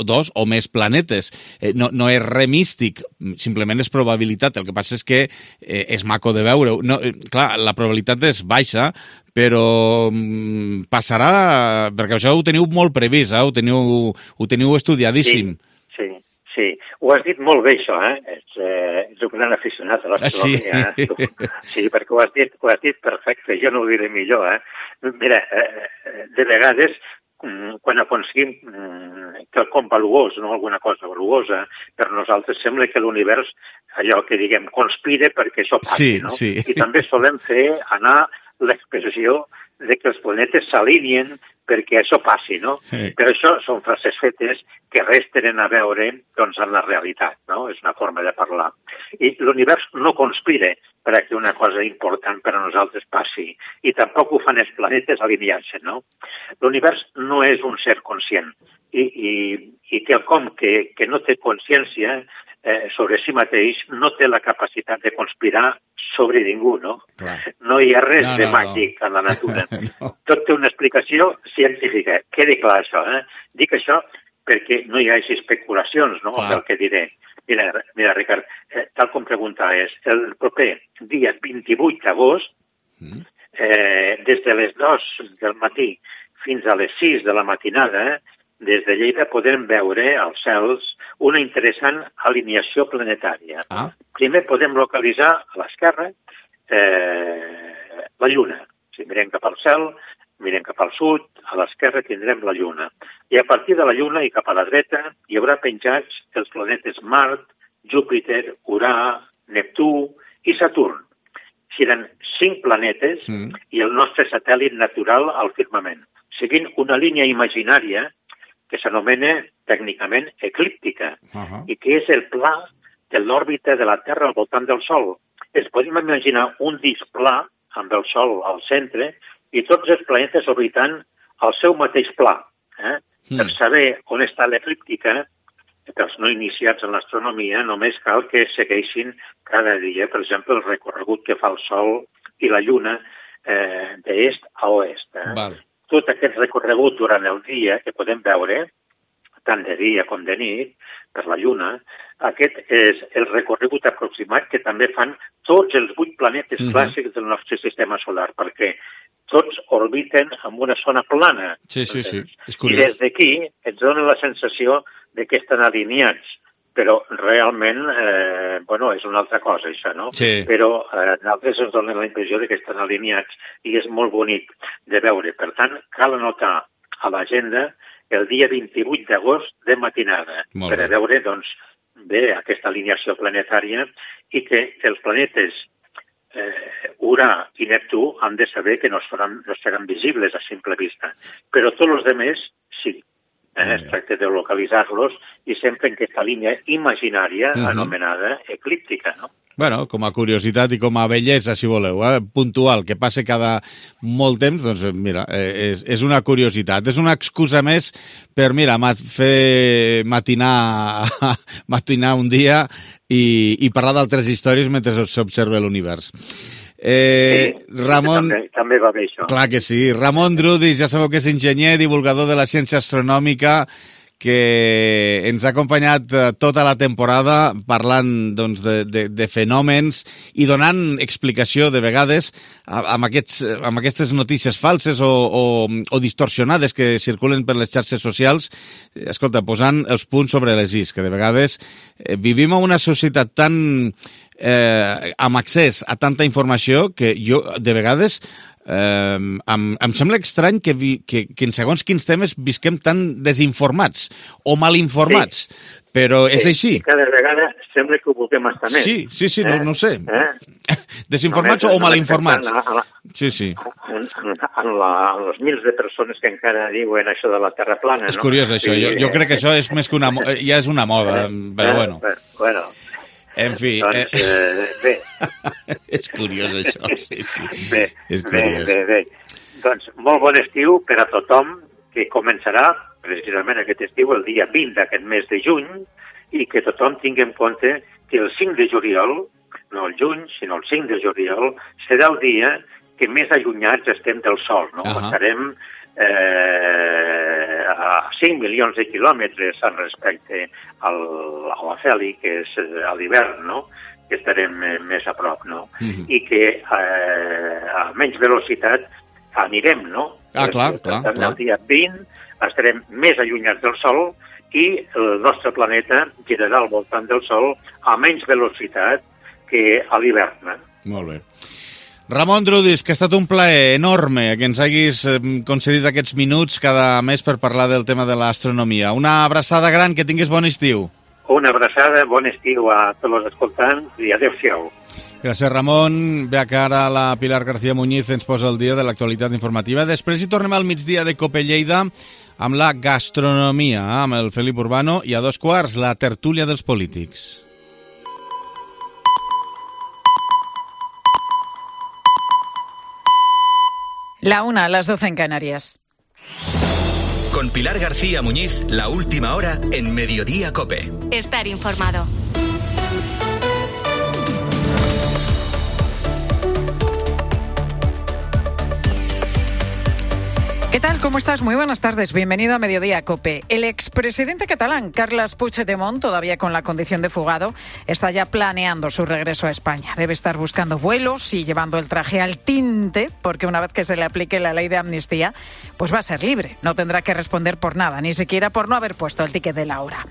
dos o més planetes. Eh, no, no és res místic, simplement és probabilitat. El que passa és que eh, és maco de veure. No, eh, clar, la probabilitat és baixa, però mm, passarà... Perquè això ho teniu molt previst, eh? ho, teniu, ho teniu estudiadíssim. Sí, sí. Sí, ho has dit molt bé, això, eh? Ets, eh, ets un gran aficionat a l'astronomia. Sí. Eh? Sí, perquè ho has dit, ho has dit perfecte, jo no ho diré millor, eh? Mira, eh, de vegades, quan aconseguim quelcom valuós, no alguna cosa valuosa, per nosaltres sembla que l'univers, allò que diguem, conspira perquè això passi, sí, no? Sí. I també solem fer anar l'expressió de que els planetes s'alineen perquè això passi, no? Sí. Però això són frases fetes que res tenen a veure doncs, amb la realitat, no? És una forma de parlar. I l'univers no conspira per a que una cosa important per a nosaltres passi, i tampoc ho fan els planetes alineant-se, no? L'univers no és un ser conscient, i, i, i quelcom que, que no té consciència eh, sobre si mateix no té la capacitat de conspirar sobre ningú, no? Clar. No hi ha res No, de no, màgic no. en la natura. No. Tot té una explicació científica. Quedi clar això, eh? Dic això perquè no hi hagi especulacions, no?, Clar. del que diré. Mira, mira Ricard, eh, tal com preguntaves, el proper dia vint-i-vuit d'agost, Mm. eh, des de les dues del matí fins a les sis de la matinada, eh, des de Lleida podem veure als cels una interessant alineació planetària. Ah. Primer podem localitzar a l'esquerra eh, la Lluna. Si mirem cap al cel, mirem cap al sud, a l'esquerra tindrem la Lluna. I a partir de la Lluna i cap a la dreta hi haurà penjats els planetes Mart, Júpiter, Urà, Neptú i Saturn. Seran cinc planetes Mm. i el nostre satèl·lit natural al firmament, seguint una línia imaginària que s'anomena tècnicament eclíptica, Uh-huh. i que és el pla de l'òrbita de la Terra al voltant del Sol. Es podem imaginar un disc pla amb el Sol al centre i tots els planetes orbitant al seu mateix pla. Eh? Mm. Per saber on està l'eclíptica, pels no iniciats en l'astronomia, només cal que segueixin cada dia, per exemple, el recorregut que fa el Sol i la Lluna eh, d'est a oest. Eh? Val. Tot aquest recorregut durant el dia que podem veure, tant de dia com de nit, per la Lluna, aquest és el recorregut aproximat que també fan tots els vuit planetes Mhm. clàssics del nostre sistema solar, perquè tots orbiten en una zona plana. Sí, sí, sí. És I curiós. des d'aquí ens dona la sensació de que estan alineats, però realment, eh, bueno, és una altra cosa, això, no? Sí. Però eh, nosaltres ens donen la impressió de que estan alineats i és molt bonic de veure. Per tant, cal anotar a l'agenda el dia vint-i-vuit d'agost de matinada, Molt per a bé. veure, doncs, bé, aquesta alineació planetària i que els planetes eh, Urà i Neptú han de saber que no seran, no seran visibles a simple vista. Però tots els altres, sí. Eh, es tracta de localitzar-los i sempre en aquesta línia imaginària Mhm. anomenada eclíptica, no? Bueno, com a curiositat i com a bellesa, si voleu, eh? puntual, que passe cada molt temps, doncs mira, eh, és, és una curiositat. És una excusa més per, mira, mat fer matinar, matinar un dia i, i parlar d'altres històries mentre s'observa l'univers. Eh, Sí, Ramon... També, també va bé això. Clar que sí. Ramon Drudis, ja sabeu que és enginyer, divulgador de la ciència astronòmica, que ens ha acompanyat eh, tota la temporada parlant doncs, de, de, de fenòmens i donant explicació de vegades a- amb, aquests, amb aquestes notícies falses o, o, o distorsionades que circulen per les xarxes socials. Eh, Escolta, posant els punts sobre les is, que de vegades eh, vivim en una societat tan eh, amb accés a tanta informació que jo, de vegades, eh, em, em sembla estrany que, vi, que, que en segons quins temes visquem tan desinformats o mal informats, sí. Però és Sí, així. i cada vegada sembla que ho vulguem estar més. Sí, sí, sí, no, no ho sé. Eh? Desinformats Només- o mal informats. només pensant en- Sí, sí. En, en, en, la, en els mils de persones que encara diuen això de la Terra plana, És no? curiós, això. Jo, jo eh, crec que això és més que una... mo- Ja és una moda, però eh, bueno. Bueno, En fi, doncs, eh, eh, bé, és curiós això, sí, sí. bé, És bé, curiós. bé, bé. Doncs molt bon estiu per a tothom, que començarà precisament aquest estiu, el dia vint d'aquest mes de juny, i que tothom tingui en compte que el cinc de juliol, no el juny, sinó el cinc de juliol, serà el dia que més allunyats estem del Sol, no? Ahà. Estarem eh, a cinc milions de quilòmetres en respecte al, a la Feli, que és eh, a l'hivern, no?, que estarem eh, més a prop, no? Mhm. I que eh, a menys velocitat anirem, no? Ah, clar, Per clar, tant, clar. el dia vint estarem més allunyats del Sol i el nostre planeta girarà al voltant del Sol a menys velocitat que a l'hivern. Eh? Molt bé. Ramon Drudis, que ha estat un plaer enorme que ens haguis eh, concedit aquests minuts cada mes per parlar del tema de l'astronomia. Una abraçada gran, que tinguis bon estiu. Una abraçada, bon estiu a tots els escoltants i adéu-siau. Gràcies, Ramon. Bé, que ara la Pilar García Muñiz ens posa el dia de l'actualitat informativa. Després hi tornem al migdia de Cope Lleida amb la gastronomia, amb el Felip Urbano, i a dos quarts la tertúlia dels polítics. La una, las doce en Canarias. Con Pilar García Muñiz, la última hora en Mediodía Cope. Estar informado. ¿Qué tal? ¿Cómo estás? Muy buenas tardes. Bienvenido a Mediodía Cope. El expresidente catalán, Carles Puigdemont, todavía con la condición de fugado, está ya planeando su regreso a España. Debe estar buscando vuelos y llevando el traje al tinte, porque una vez que se le aplique la ley de amnistía, pues va a ser libre. No tendrá que responder por nada, ni siquiera por no haber puesto el ticket de la hora.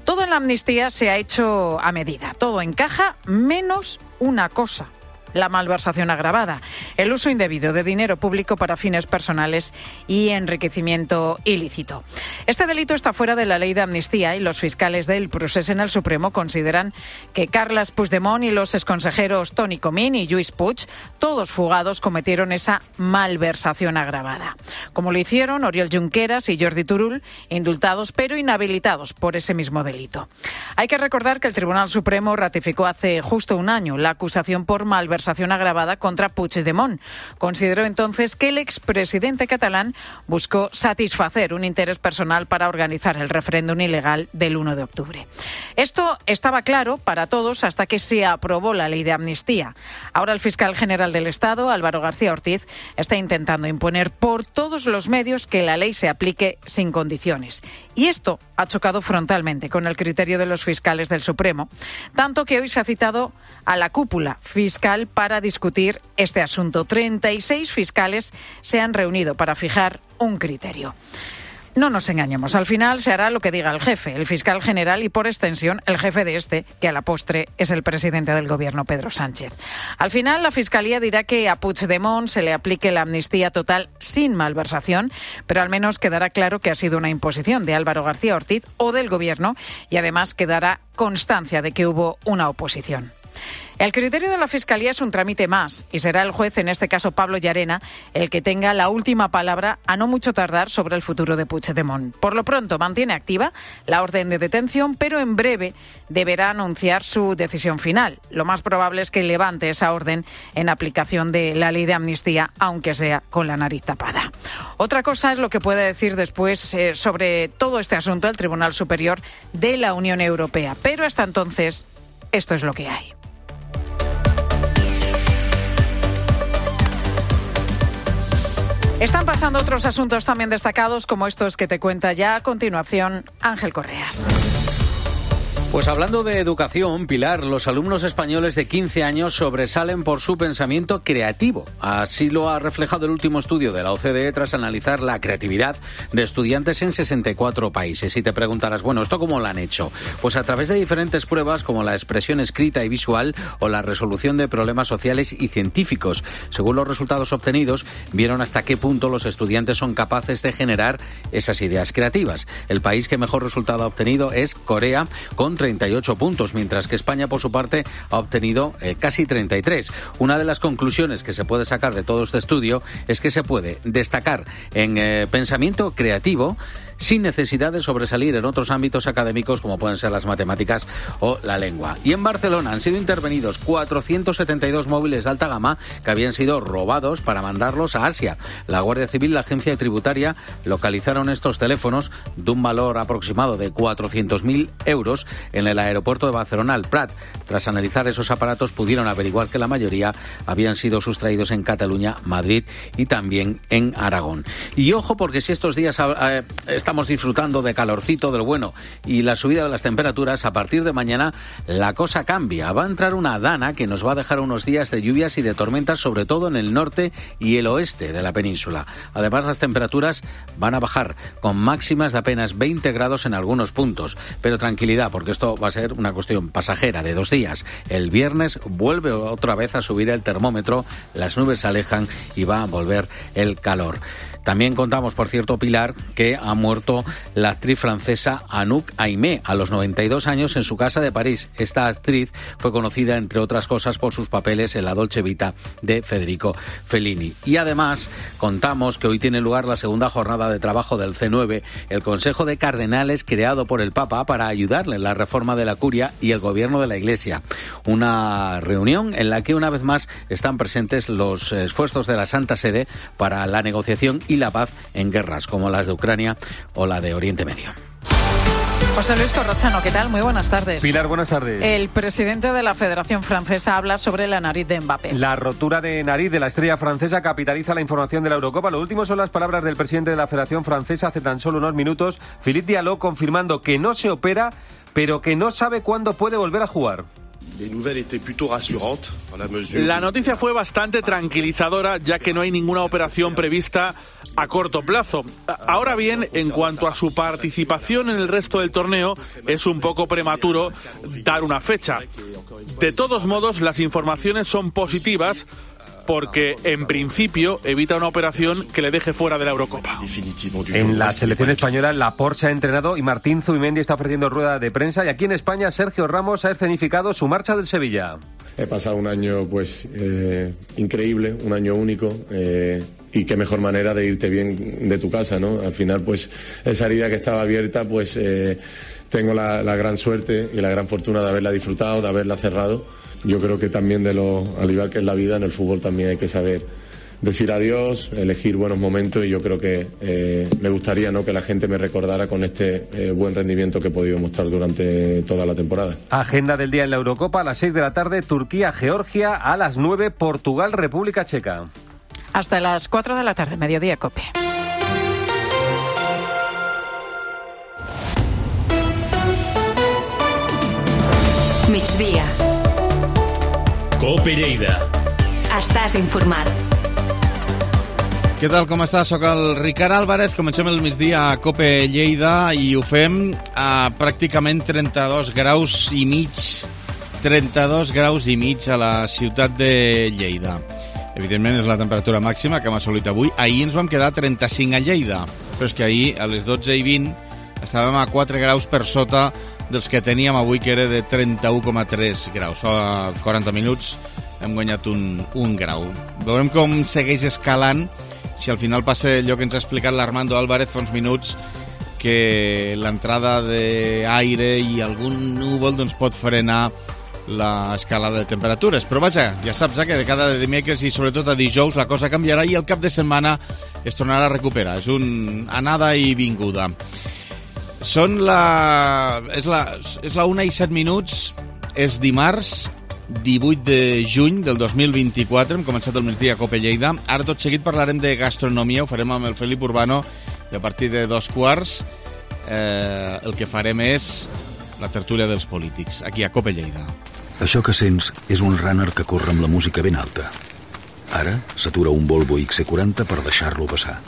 Todo en la amnistía se ha hecho a medida. Todo encaja, menos una cosa: la malversación agravada, el uso indebido de dinero público para fines personales y enriquecimiento ilícito. Este delito está fuera de la ley de amnistía y los fiscales del procés en el Supremo consideran que Carles Puigdemont y los exconsejeros Toni Comín y Lluís Puig, todos fugados, cometieron esa malversación agravada. Como lo hicieron Oriol Junqueras y Jordi Turull, indultados pero inhabilitados por ese mismo delito. Hay que recordar que el Tribunal Supremo ratificó hace justo un año la acusación por malversación agravada contra Puigdemont. Consideró entonces que el expresidente catalán buscó satisfacer un interés personal para organizar el referéndum ilegal del uno de octubre. Esto estaba claro para todos hasta que se aprobó la ley de amnistía. Ahora el fiscal general del Estado, Álvaro García Ortiz, está intentando imponer por todos los medios que la ley se aplique sin condiciones. Y esto ha chocado frontalmente con el criterio de los fiscales del Supremo, tanto que hoy se ha citado a la cúpula fiscal para discutir este asunto. treinta y seis fiscales se han reunido para fijar un criterio. No nos engañemos, al final se hará lo que diga el jefe, el fiscal general y, por extensión, el jefe de este, que a la postre es el presidente del Gobierno, Pedro Sánchez. Al final, la Fiscalía dirá que a Puigdemont se le aplique la amnistía total sin malversación, pero al menos quedará claro que ha sido una imposición de Álvaro García Ortiz o del Gobierno y además quedará constancia de que hubo una oposición. El criterio de la Fiscalía es un trámite más y será el juez, en este caso Pablo Llarena, el que tenga la última palabra a no mucho tardar sobre el futuro de Puigdemont. Por lo pronto mantiene activa la orden de detención, pero en breve deberá anunciar su decisión final. Lo más probable es que levante esa orden en aplicación de la ley de amnistía, aunque sea con la nariz tapada. Otra cosa es lo que puede decir después eh, sobre todo este asunto el Tribunal Superior de la Unión Europea. Pero hasta entonces, esto es lo que hay. Están pasando otros asuntos también destacados, como estos que te cuenta ya a continuación Ángel Correas. Pues hablando de educación, Pilar, los alumnos españoles de quince años sobresalen por su pensamiento creativo. Así lo ha reflejado el último estudio de la O C D E tras analizar la creatividad de estudiantes en sesenta y cuatro países. Y te preguntarás, bueno, ¿esto cómo lo han hecho? Pues a través de diferentes pruebas como la expresión escrita y visual o la resolución de problemas sociales y científicos. Según los resultados obtenidos, vieron hasta qué punto los estudiantes son capaces de generar esas ideas creativas. El país que mejor resultado ha obtenido es Corea, con treinta y ocho puntos, mientras que España, por su parte, ha obtenido eh, casi treinta y tres. Una de las conclusiones que se puede sacar de todo este estudio es que se puede destacar en eh, pensamiento creativo sin necesidad de sobresalir en otros ámbitos académicos como pueden ser las matemáticas o la lengua. Y en Barcelona han sido intervenidos cuatrocientos setenta y dos móviles de alta gama que habían sido robados para mandarlos a Asia. La Guardia Civil y la Agencia Tributaria localizaron estos teléfonos de un valor aproximado de cuatrocientos mil euros en el aeropuerto de Barcelona, el Prat. Tras analizar esos aparatos pudieron averiguar que la mayoría habían sido sustraídos en Cataluña, Madrid y también en Aragón. Y ojo, porque si estos días eh, estamos disfrutando de calorcito del bueno y la subida de las temperaturas, a partir de mañana la cosa cambia. Va a entrar una dana que nos va a dejar unos días de lluvias y de tormentas, sobre todo en el norte y el oeste de la península. Además, las temperaturas van a bajar con máximas de apenas veinte grados en algunos puntos. Pero tranquilidad, porque esto va a ser una cuestión pasajera de dos días. El viernes vuelve otra vez a subir el termómetro, las nubes se alejan y va a volver el calor. También contamos, por cierto, Pilar, que ha muerto la actriz francesa Anouk Aimée a los noventa y dos años en su casa de París. Esta actriz fue conocida, entre otras cosas, por sus papeles en La Dolce Vita de Federico Fellini. Y además contamos que hoy tiene lugar la segunda jornada de trabajo del C nueve, el Consejo de Cardenales creado por el Papa para ayudarle en la reforma de la curia y el gobierno de la Iglesia. Una reunión en la que una vez más están presentes los esfuerzos de la Santa Sede para la negociación y la paz en guerras como las de Ucrania o la de Oriente Medio. José Luis Corrochano, ¿qué tal? Muy buenas tardes. Pilar, buenas tardes. El presidente de la Federación Francesa habla sobre la nariz de Mbappé. La rotura de nariz de la estrella francesa capitaliza la información de la Eurocopa. Lo último son las palabras del presidente de la Federación Francesa hace tan solo unos minutos, Philippe Diallo, confirmando que no se opera, pero que no sabe cuándo puede volver a jugar. La noticia fue bastante tranquilizadora, ya que no hay ninguna operación prevista a corto plazo. Ahora bien, en cuanto a su participación en el resto del torneo, es un poco prematuro dar una fecha. De todos modos, las informaciones son positivas, porque en principio evita una operación que le deje fuera de la Eurocopa. En la selección española, Laporte se ha entrenado y Martín Zubimendi está ofreciendo rueda de prensa. Y aquí en España, Sergio Ramos ha escenificado su marcha del Sevilla. He pasado un año pues eh, increíble, un año único. Eh... Y qué mejor manera de irte bien de tu casa, ¿no? Al final, pues, esa herida que estaba abierta, pues, eh, tengo la, la gran suerte y la gran fortuna de haberla disfrutado, de haberla cerrado. Yo creo que también, de lo, al igual que en la vida, en el fútbol también hay que saber decir adiós, elegir buenos momentos, y yo creo que eh, me gustaría, ¿no?, que la gente me recordara con este eh, buen rendimiento que he podido mostrar durante toda la temporada. Agenda del día en la Eurocopa: a las seis de la tarde, Turquía, Georgia; a las nueve, Portugal, República Checa. Hasta las cuatro de la tarde, Mediodía Cope. Migdia. Cope Lleida. Estàs informat. Què tal, com estàs? Soc el Ricard Álvarez. Comencem el migdia a Cope Lleida i ho fem a pràcticament trenta-dos graus i mig. trenta-dos graus i mig a la ciutat de Lleida. Evidentment és la temperatura màxima que hem assolit avui. Ahir ens vam quedar trenta-cinc a Lleida, però és que ahir a les dotze i vint estàvem a quatre graus per sota dels que teníem avui, que era de trenta-u coma tres graus. Fa quaranta minuts hem guanyat un, un grau. Veurem com segueix escalant, si al final passa allò que ens ha explicat l'Armando Álvarez fa uns minuts, que l'entrada d'aire i algun núvol doncs, pot frenar l'escalada de temperatures. Però vaja, ja saps eh, que de cada dimecres i sobretot a dijous la cosa canviarà i el cap de setmana es tornarà a recuperar. És un anada i vinguda. Són la... És la, és la una i set minuts, és dimarts, divuit de juny del dos mil vint-i-quatre, hem començat el migdia a Cope Lleida. Ara tot seguit parlarem de gastronomia, ho farem amb el Felip Urbano, i a partir de dos quarts eh, el que farem és la tertúlia dels polítics, aquí a Cope Lleida. Això que sents és un runner que corre amb la música ben alta. Ara s'atura un Volvo X C quaranta per deixar-lo passar.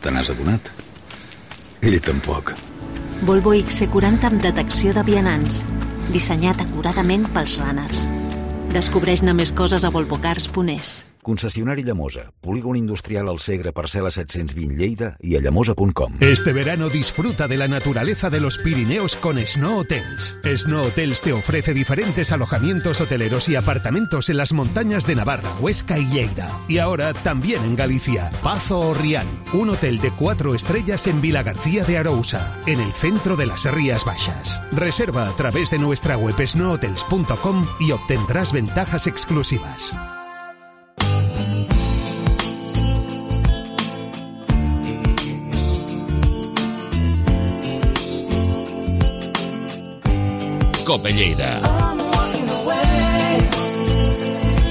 Te n'has adonat? Ell tampoc. Volvo X C quaranta amb detecció de vianants, dissenyat acuradament pels runners. Descobreix-ne més coses a volvocars punt es. Concessionari Llamosa, polígon industrial al Segre, parcel·la set-cents vint Lleida i a llamosa punt com. Este verano disfruta de la naturaleza de los Pirineos con Snow Hotels. Snow Hotels te ofrece diferentes alojamientos hoteleros y apartamentos en las montañas de Navarra, Huesca y Lleida. Y ahora también en Galicia, Pazo o Rial, un hotel de cuatro estrellas en Vilagarcía de Arousa, en el centro de las Rías Baixas. Reserva a través de nuestra web snow hotels punto com y obtendrás ventajas exclusivas. Cope Lleida.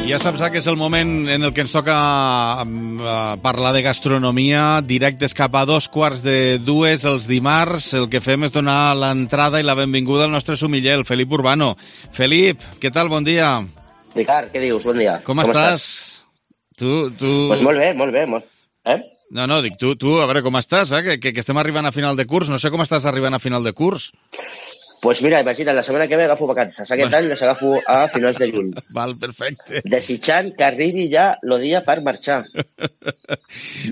Ja saps que és el moment en el que ens toca uh, parlar de gastronomia, directes cap a dos quarts de dues els dimarts. El que fem és donar l'entrada i la benvinguda al nostre sumiller, el Felip Urbano. Felip, què tal? Bon dia. Ricard, què dius? Bon dia. Com, Com estàs? estàs? Tu, tu... Pues molt bé, molt bé. Molt... Eh? No, no, dic, tu, tu, a veure com estàs, eh? que, que, que estem arribant a final de curs. No sé com estàs arribant a final de curs. Pues mira, imagina, la setmana que ve agafo vacances. Aquest any les agafo a finals de juny. Val, perfecte. Desitjant que arribi ja el dia per marxar.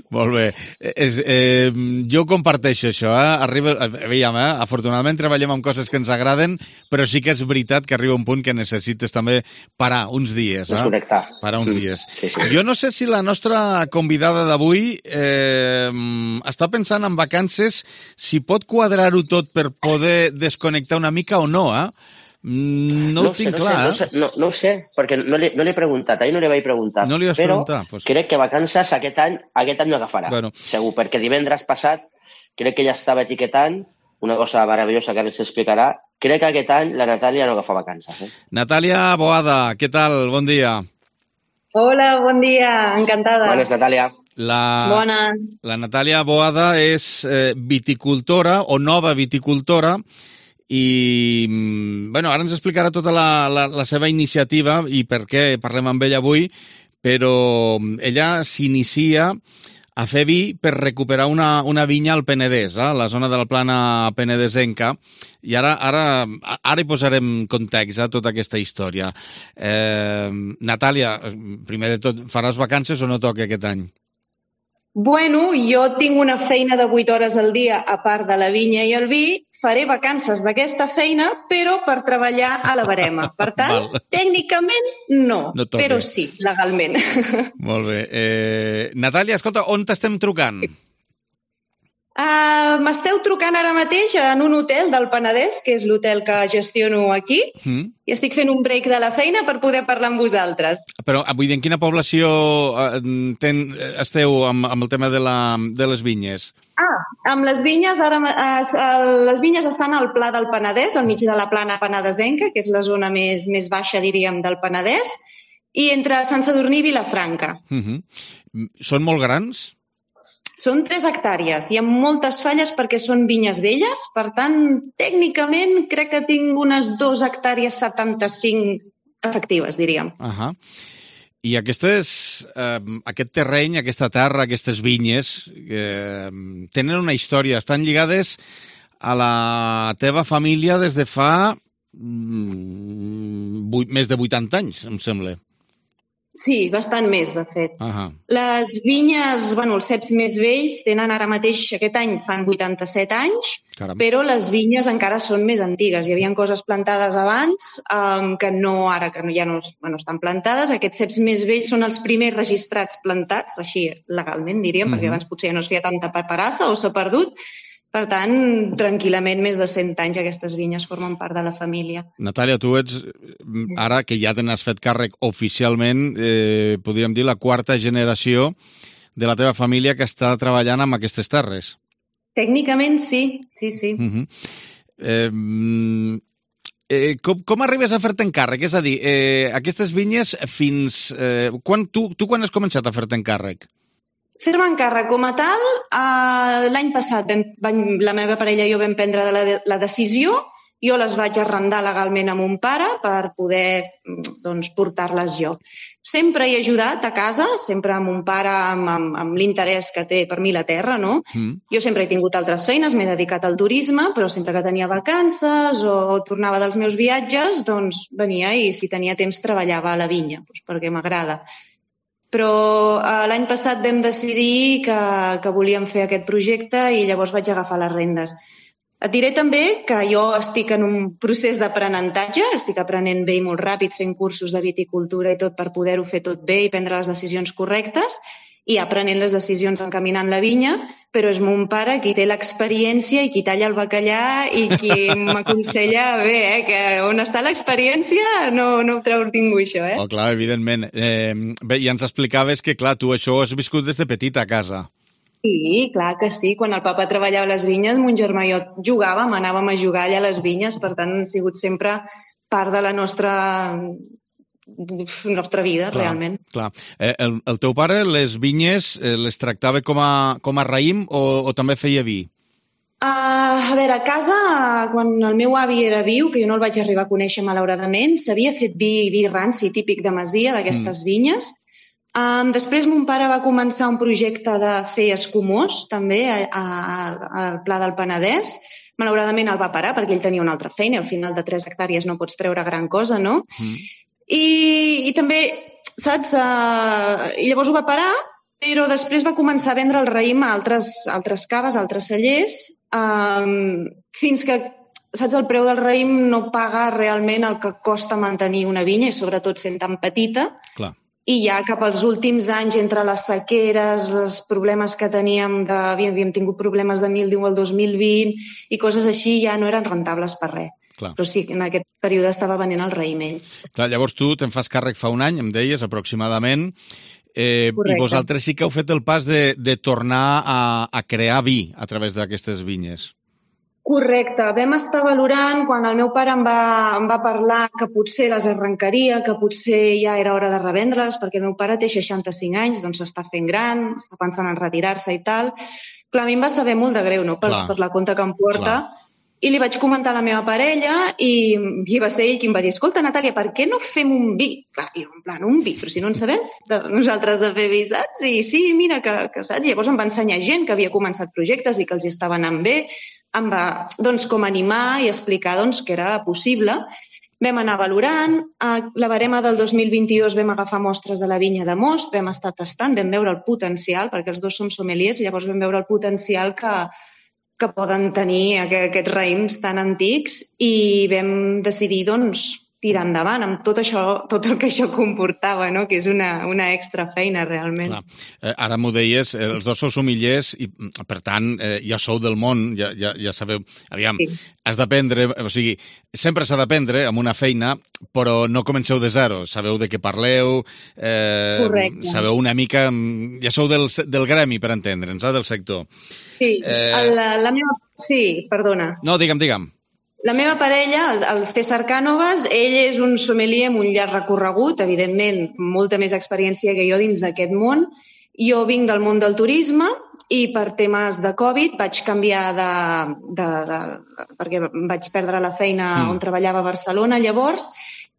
Molt bé. És, eh, jo comparteixo això. Eh? Arriba, veiem, eh? Afortunadament treballem amb coses que ens agraden, però sí que és veritat que arriba un punt que necessites també parar uns dies. Eh? Desconnectar. Parar uns dies. Sí, sí. Jo no sé si la nostra convidada d'avui eh, està pensant en vacances, si pot quadrar-ho tot per poder desconnectar una mica o no, eh? No, no ho sé, tinc no clar, sé, no, no, no ho sé, perquè no li, no li he preguntat, ahir no li vaig preguntar. No li vas però preguntar? Pues... crec que vacances aquest any, aquest any no agafarà, bueno. Segur, perquè divendres passat crec que ja estava etiquetant una cosa meravellosa que ara s'explicarà. Crec que aquest any la Natàlia no agafa vacances. Eh? Natàlia Boada, què tal? Bon dia. Hola, bon dia, encantada. Bones, Natàlia. La, Bones. La Natàlia Boada és eh, viticultora o nova viticultora i, bueno, ara ens explicarà tota la, la, la seva iniciativa i per què parlem amb ella avui, però ella s'inicia a fer vi per recuperar una, una vinya al Penedès, eh, la zona de la plana penedesenca, i ara, ara, ara hi posarem context a tota aquesta història. Eh, Natàlia, primer de tot, faràs vacances o no toca aquest any? Bueno, jo tinc una feina de vuit hores al dia a part de la vinya i el vi. Faré vacances d'aquesta feina, però per treballar a la barema. Per tant, tècnicament no, no però sí, legalment. Molt bé. Eh, Natàlia, escolta, on t'estem trucant? Uh, M'esteu trucant ara mateix en un hotel del Penedès, que és l'hotel que gestiono aquí, mm. i estic fent un break de la feina per poder parlar amb vosaltres. Però vull dir, en quina població ten, esteu amb, amb el tema de, la, de les vinyes? Ah, amb les vinyes, ara, les vinyes estan al Pla del Penedès, al mig de la plana penedesenca, que és la zona més, més baixa, diríem, del Penedès, i entre Sant Sadurní i Vilafranca. Mm-hmm. Són molt grans? Són tres hectàrees. Hi ha moltes falles perquè són vinyes velles, per tant, tècnicament crec que tinc unes dues hectàrees setanta-cinc efectives, diríem. Uh-huh. I aquestes, eh, aquest terreny, aquesta terra, aquestes vinyes, eh, tenen una història, estan lligades a la teva família des de fa mm, vuit, més de vuitanta anys, em sembla. Sí, bastant més, de fet. Uh-huh. Les vinyes, bueno, els ceps més vells tenen ara mateix, aquest any fan vuitanta-set anys, Caram. Però les vinyes encara són més antigues. Hi havia coses plantades abans um, que no ara, que ja no bueno, estan plantades. Aquests ceps més vells són els primers registrats plantats, així legalment, diríem, uh-huh. perquè abans potser ja no es feia tanta paperassa o s'ha perdut. Per tant, tranquil·lament, més de cent anys aquestes vinyes formen part de la família. Natàlia, tu ets, ara que ja te n'has fet càrrec oficialment, eh, podríem dir la quarta generació de la teva família que està treballant amb aquestes terres. Tècnicament sí, sí, sí. Uh-huh. eh, eh, com, com arribes a fer-te encàrrec? És a dir, eh, aquestes vinyes fins... Eh, quan, tu, tu quan has començat a fer-te encàrrec? Fer-me encàrrec com a tal, uh, l'any passat vam, vam, la meva parella i jo vam prendre la, la decisió, jo les vaig arrendar legalment a mon pare per poder doncs, portar-les jo. Sempre he ajudat a casa, sempre a mon pare amb, amb, amb l'interès que té per mi la terra, no? Mm. Jo sempre he tingut altres feines, m'he dedicat al turisme, però sempre que tenia vacances o, o tornava dels meus viatges, doncs venia i si tenia temps treballava a la vinya, doncs, perquè m'agrada. Però eh, l'any passat vam decidir que, que volíem fer aquest projecte i llavors vaig agafar les rendes. Et diré també que jo estic en un procés d'aprenentatge, estic aprenent bé i molt ràpid, fent cursos de viticultura i tot per poder-ho fer tot bé i prendre les decisions correctes i aprenent les decisions encaminant la vinya, però és mon pare qui té l'experiència i qui talla el bacallà i qui m'aconsella bé, eh, que on està l'experiència no, no ho treu ningú, això, eh? Oh, clar, evidentment. Eh, bé, ja ens explicaves que, clar, tu això has viscut des de petita a casa. Sí, clar que sí. Quan el papa treballava a les vinyes, mon germà i jo jugàvem, anàvem a jugar allà a les vinyes, per tant, han sigut sempre part de la nostra... nostra vida, clar, realment. Clar. Eh, el, el teu pare les vinyes eh, les tractava com a, com a raïm o, o també feia vi? Uh, a veure, a casa, quan el meu avi era viu, que jo no el vaig arribar a conèixer malauradament, s'havia fet vi, vi ranci típic de masia, d'aquestes mm. vinyes. Um, després mon pare va començar un projecte de fer escumós, també, a, a, al Pla del Penedès, malauradament el va parar perquè ell tenia una altra feina, al final de tres hectàrees no pots treure gran cosa, no? Mm. I, i també, saps, uh, i llavors ho va parar, però després va començar a vendre el raïm a altres, altres caves, a altres cellers, um, fins que, saps, el preu del raïm no paga realment el que costa mantenir una vinya, i sobretot sent tan petita. Clar. I ja cap als últims anys, entre les sequeres, els problemes que teníem, de, havíem, havíem tingut problemes de míldiu al dos mil vint i coses així, ja no eren rentables per res. Clar. Però sí, en aquest període estava venent el raïm ell. Clar, llavors tu te'n fas càrrec fa un any, em deies, aproximadament, eh, i vosaltres sí que heu fet el pas de, de tornar a, a crear vi a través d'aquestes vinyes. Correcte. Vam estar valorant quan el meu pare em va, em va parlar que potser les arrencaria, que potser ja era hora de revendre-les, perquè el meu pare té seixanta-cinc anys, doncs s'està fent gran, està pensant en retirar-se i tal. Clar, a mi em va saber molt de greu, no?, per, per la compte que em porta. Clar. I li vaig comentar a la meva parella i, i va ser ell qui em va dir: escolta, Natàlia, per què no fem un vi? Clar, jo, en plan, un vi, però si no en sabem de, nosaltres de fer vi, saps? I sí, mira, que, que saps? I llavors em va ensenyar gent que havia començat projectes i que els estava anant bé. Em va, doncs, com animar i explicar, doncs, que era possible. Vam anar valorant. A la barema del dos mil vint-i-dos vam agafar mostres de la vinya de Most, vam estar tastant, vam veure el potencial, perquè els dos som sommeliers, i llavors vam veure el potencial que, que poden tenir aquests raïms tan antics, i vam decidir, doncs, tirar endavant amb tot això, tot el que això comportava, no?, que és una, una extra feina, realment. Clar. Eh, ara m'ho deies, eh, els dos sou sommeliers i, per tant, eh, ja sou del món, ja, ja, ja sabeu... Aviam, sí. Has d'aprendre, o sigui, sempre s'ha d'aprendre amb una feina, però no comenceu de zero, sabeu de què parleu, eh, sabeu una mica... Ja sou del, del gremi, per entendre'ns, eh, del sector. Sí, eh... la, la meva... Sí, perdona. No, digue'm, digue'm. La meva parella, el, el César Cánovas, ell és un sommelier amb un llarg recorregut, evidentment, molta més experiència que jo dins d'aquest món. Jo vinc del món del turisme i per temes de Covid vaig canviar de... de, de, de perquè vaig perdre la feina mm. on treballava a Barcelona llavors,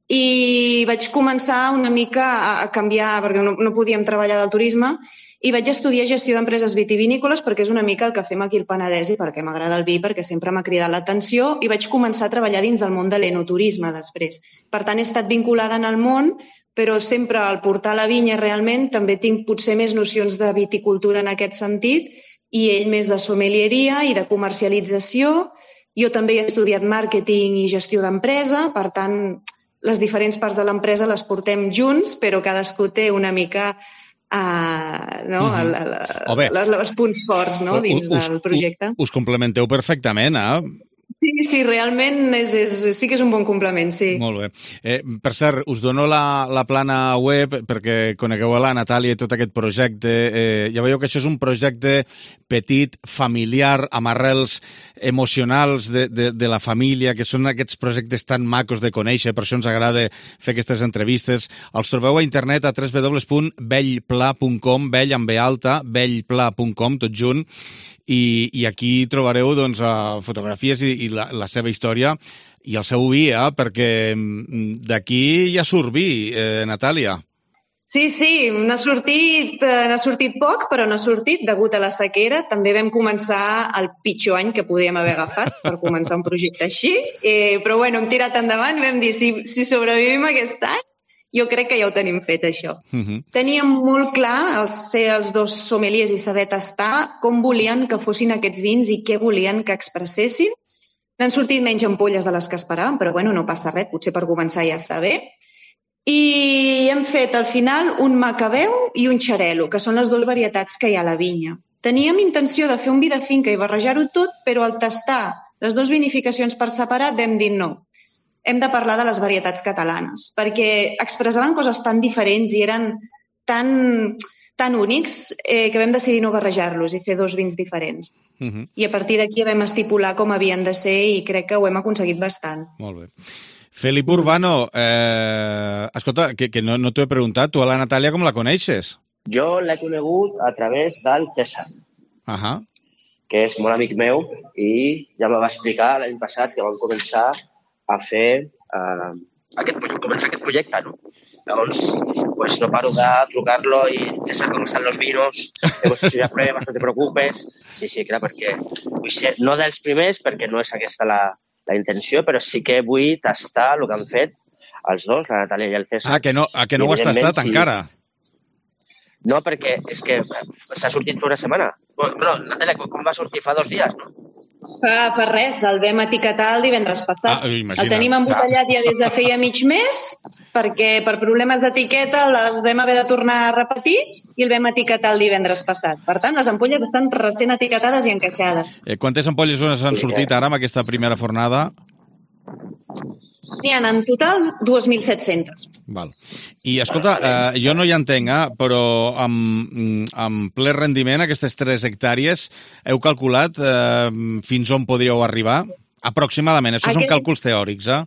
i vaig començar una mica a canviar, perquè no, no podíem treballar del turisme, i vaig estudiar gestió d'empreses vitivinícoles perquè és una mica el que fem aquí al Penedès i perquè m'agrada el vi, perquè sempre m'ha cridat l'atenció, i vaig començar a treballar dins del món de l'enoturisme després. Per tant, he estat vinculada en el món, però sempre al portar la vinya realment també tinc potser més nocions de viticultura en aquest sentit, i ell més de sommelieria i de comercialització. Jo també he estudiat màrqueting i gestió d'empresa, per tant, les diferents parts de l'empresa les portem junts, però cadascú té una mica... Uh, no? uh-huh. la, la, la, la, els punts forts, no? Dins us, del projecte. Us, us complementeu perfectament, eh? Sí, sí, realment és, és, sí que és un bon complement, sí. Molt bé. Eh, per cert, us dono la, la plana web perquè conegueu a la Natàlia i tot aquest projecte. Eh, ja veieu que això és un projecte petit, familiar, amb arrels emocionals de, de, de la família, que són aquests projectes tan macos de conèixer, per això ens agrada fer aquestes entrevistes. Els trobeu a internet a w w w punt bellpla punt com, bell amb be alta, bellpla punt com, tot junt, i, i aquí trobareu doncs, fotografies i, i la, la seva història i el seu vi, eh? Perquè d'aquí ja surt vi, eh, Natàlia. Sí, sí, n'ha sortit, n'ha sortit poc, però n'ha sortit degut a la sequera. També vam començar el pitjor any que podíem haver agafat per començar un projecte així, eh, però bueno, hem tirat endavant i vam dir, si, si sobrevivim aquest any, jo crec que ja ho tenim fet, això. Uh-huh. Teníem molt clar els, ser els dos sommeliers i saber tastar com volien que fossin aquests vins i què volien que expressessin. N'han sortit menys ampolles de les que esperàvem, però bueno, no passa res, potser per començar ja està bé. I hem fet al final un macabeu i un xarel·lo, que són les dues varietats que hi ha a la vinya. Teníem intenció de fer un vi de finca i barrejar-ho tot, però al tastar les dues vinificacions per separat vam dir no. Hem de parlar de les varietats catalanes, perquè expressaven coses tan diferents i eren tan, tan únics eh, que vam decidir no barrejar-los i fer dos vins diferents. Uh-huh. I a partir d'aquí vam estipular com havien de ser i crec que ho hem aconseguit bastant. Molt bé. Felip Urbano, eh, escolta, que, que no, no t'ho he preguntat, tu a la Natàlia com la coneixes? Jo l'he conegut a través del César, uh-huh. que és molt amic meu i ja me va explicar l'any passat que vam començar a fer uh, aquest, començar aquest projecte, no? Llavors, pues no paro de trucar-lo i César, com estan los vinos? Hemos hecho ya pruebas, no te preocupes. Sí, sí, clar, perquè vull ser no dels primers, perquè no és aquesta la, la intenció, però sí que vull tastar el que han fet els dos, la Natàlia i el César. Ah, que no, ah, que no ho has tastat sí. encara? No, perquè és que s'ha sortit fa una setmana. Bueno, Natàlia, com va sortir? Fa dos dies, no? Fa, fa res, el vam etiquetar el divendres passat. Ah, imagina. El tenim embotellat ja des de feia mig mes, perquè per problemes d'etiqueta les vam haver de tornar a repetir i el vam etiquetar el divendres passat. Per tant, les ampolles estan recent etiquetades i encaixades. Eh, quantes ampolles han sortit ara amb aquesta primera fornada? N'hi ha en total dos mil set-centes. Val. I, escolta, eh, jo no hi entenc, eh, però amb, amb ple rendiment, aquestes tres hectàrees, heu calculat eh, fins on podríeu arribar? Aproximadament, això Aquest... són càlculs teòrics, eh?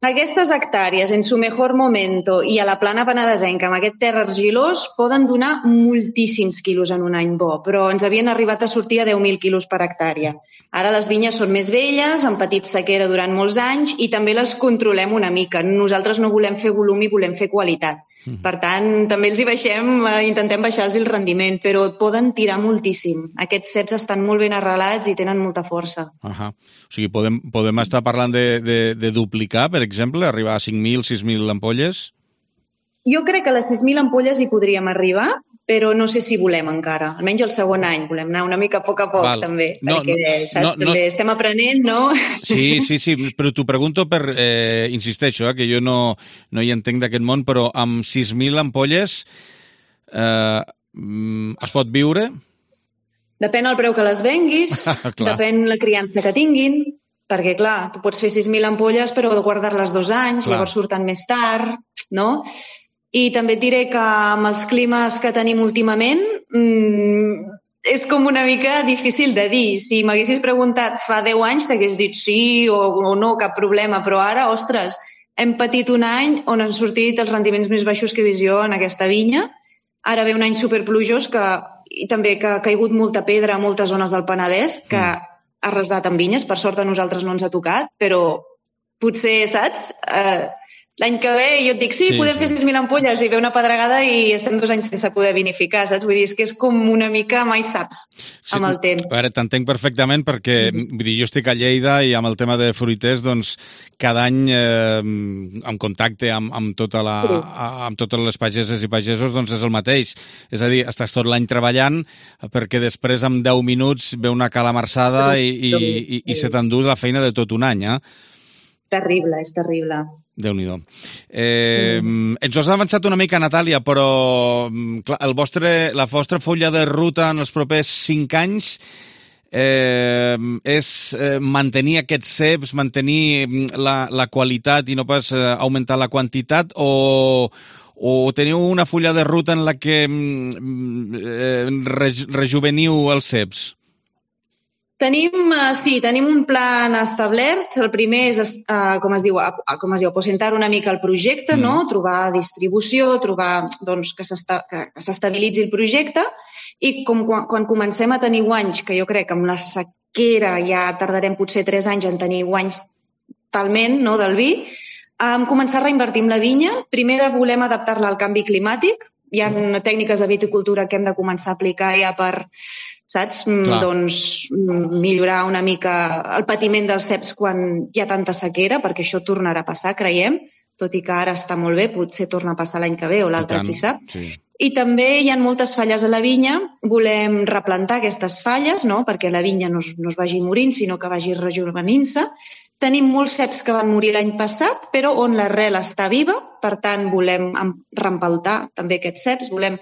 Aquestes hectàrees, en su mejor momento, i a la plana penedesenca, amb aquest terra argilós, poden donar moltíssims quilos en un any bo, però ens havien arribat a sortir a deu mil quilos per hectàrea. Ara les vinyes són més velles, han patit sequera durant molts anys i també les controlem una mica. Nosaltres no volem fer volum i volem fer qualitat. Per tant, també els hi baixem, intentem baixar-los el rendiment, però poden tirar moltíssim. Aquests ceps estan molt ben arrelats i tenen molta força. Ahà. O sigui, podem, podem estar parlant de, de, de duplicar, per exemple, arribar a cinc mil, sis mil ampolles? Jo crec que a les sis mil ampolles hi podríem arribar, però no sé si volem encara. Almenys el segon any. Volem anar una mica a poc a poc, Val. també. No, perquè, no, saps? no, també no. estem aprenent, no? Sí, sí, sí, però t'ho pregunto per... Eh, insisteixo, eh, que jo no, no hi entenc d'aquest món, però amb sis mil ampolles eh, es pot viure? Depèn el preu que les venguis, depèn la criança que tinguin, perquè, clar, tu pots fer sis mil ampolles, però guardar-les dos anys, clar. Llavors surten més tard, no? I també et diré que amb els climes que tenim últimament mmm, és com una mica difícil de dir. Si m'haguessis preguntat fa deu anys t'hagués dit sí o, o no, cap problema, però ara, ostres, hem patit un any on han sortit els rendiments més baixos que he vist jo en aquesta vinya. Ara ve un any superplujós que, i també que ha caigut molta pedra a moltes zones del Penedès, que mm. ha arrasat amb vinyes. Per sort a nosaltres no ens ha tocat, però potser, saps... Eh, L'any que ve jo et dic, sí, sí podem sí. fer sis mil ampolles i ve una pedregada i estem dos anys sense poder vinificar, saps? Vull dir, és que és com una mica mai saps sí, amb el temps. A veure, t'entenc perfectament perquè mm. vull dir, jo estic a Lleida i amb el tema de fruiters, doncs, cada any eh, en contacte amb, amb, tota la, sí. amb totes les pageses i pagesos, doncs és el mateix. És a dir, estàs tot l'any treballant perquè després en deu minuts ve una calamarsada i, i, i, i se t'endú la feina de tot un any, eh? Terrible, és terrible. Déu-n'hi-do. Eh, mm. Ens has avançat una mica, Natàlia, però clar, el vostre, la vostra fulla de ruta en els propers cinc anys eh, és eh, mantenir aquests ceps, mantenir la, la qualitat i no pas eh, augmentar la quantitat, o, o teniu una fulla de ruta en la que eh, rej, rejuveniu els ceps? Tenim, uh, sí, tenim un plan establert. El primer és, uh, com es diu, uh, com es diu, aposentar una mica el projecte, mm. no? Trobar distribució, trobar doncs, que s'estabilitzi el projecte i com quan, quan comencem a tenir guanys, que jo crec que amb la sequera ja tardarem potser tres anys en tenir guanys talment, no, del vi, um, començar a reinvertir en la vinya. Primer volem adaptar-la al canvi climàtic. Hi ha mm. tècniques de viticultura que hem de començar a aplicar ja per... saps? Clar. Doncs millorar una mica el patiment dels ceps quan hi ha tanta sequera, perquè això tornarà a passar, creiem, tot i que ara està molt bé, potser torna a passar l'any que ve o l'altre, qui sap. Sí. I també hi ha moltes falles a la vinya, volem replantar aquestes falles, no? Perquè la vinya no es, no es vagi morint, sinó que vagi rejuvenint-se. Tenim molts ceps que van morir l'any passat, però on l'arrel està viva, per tant volem reempaltar també aquests ceps, volem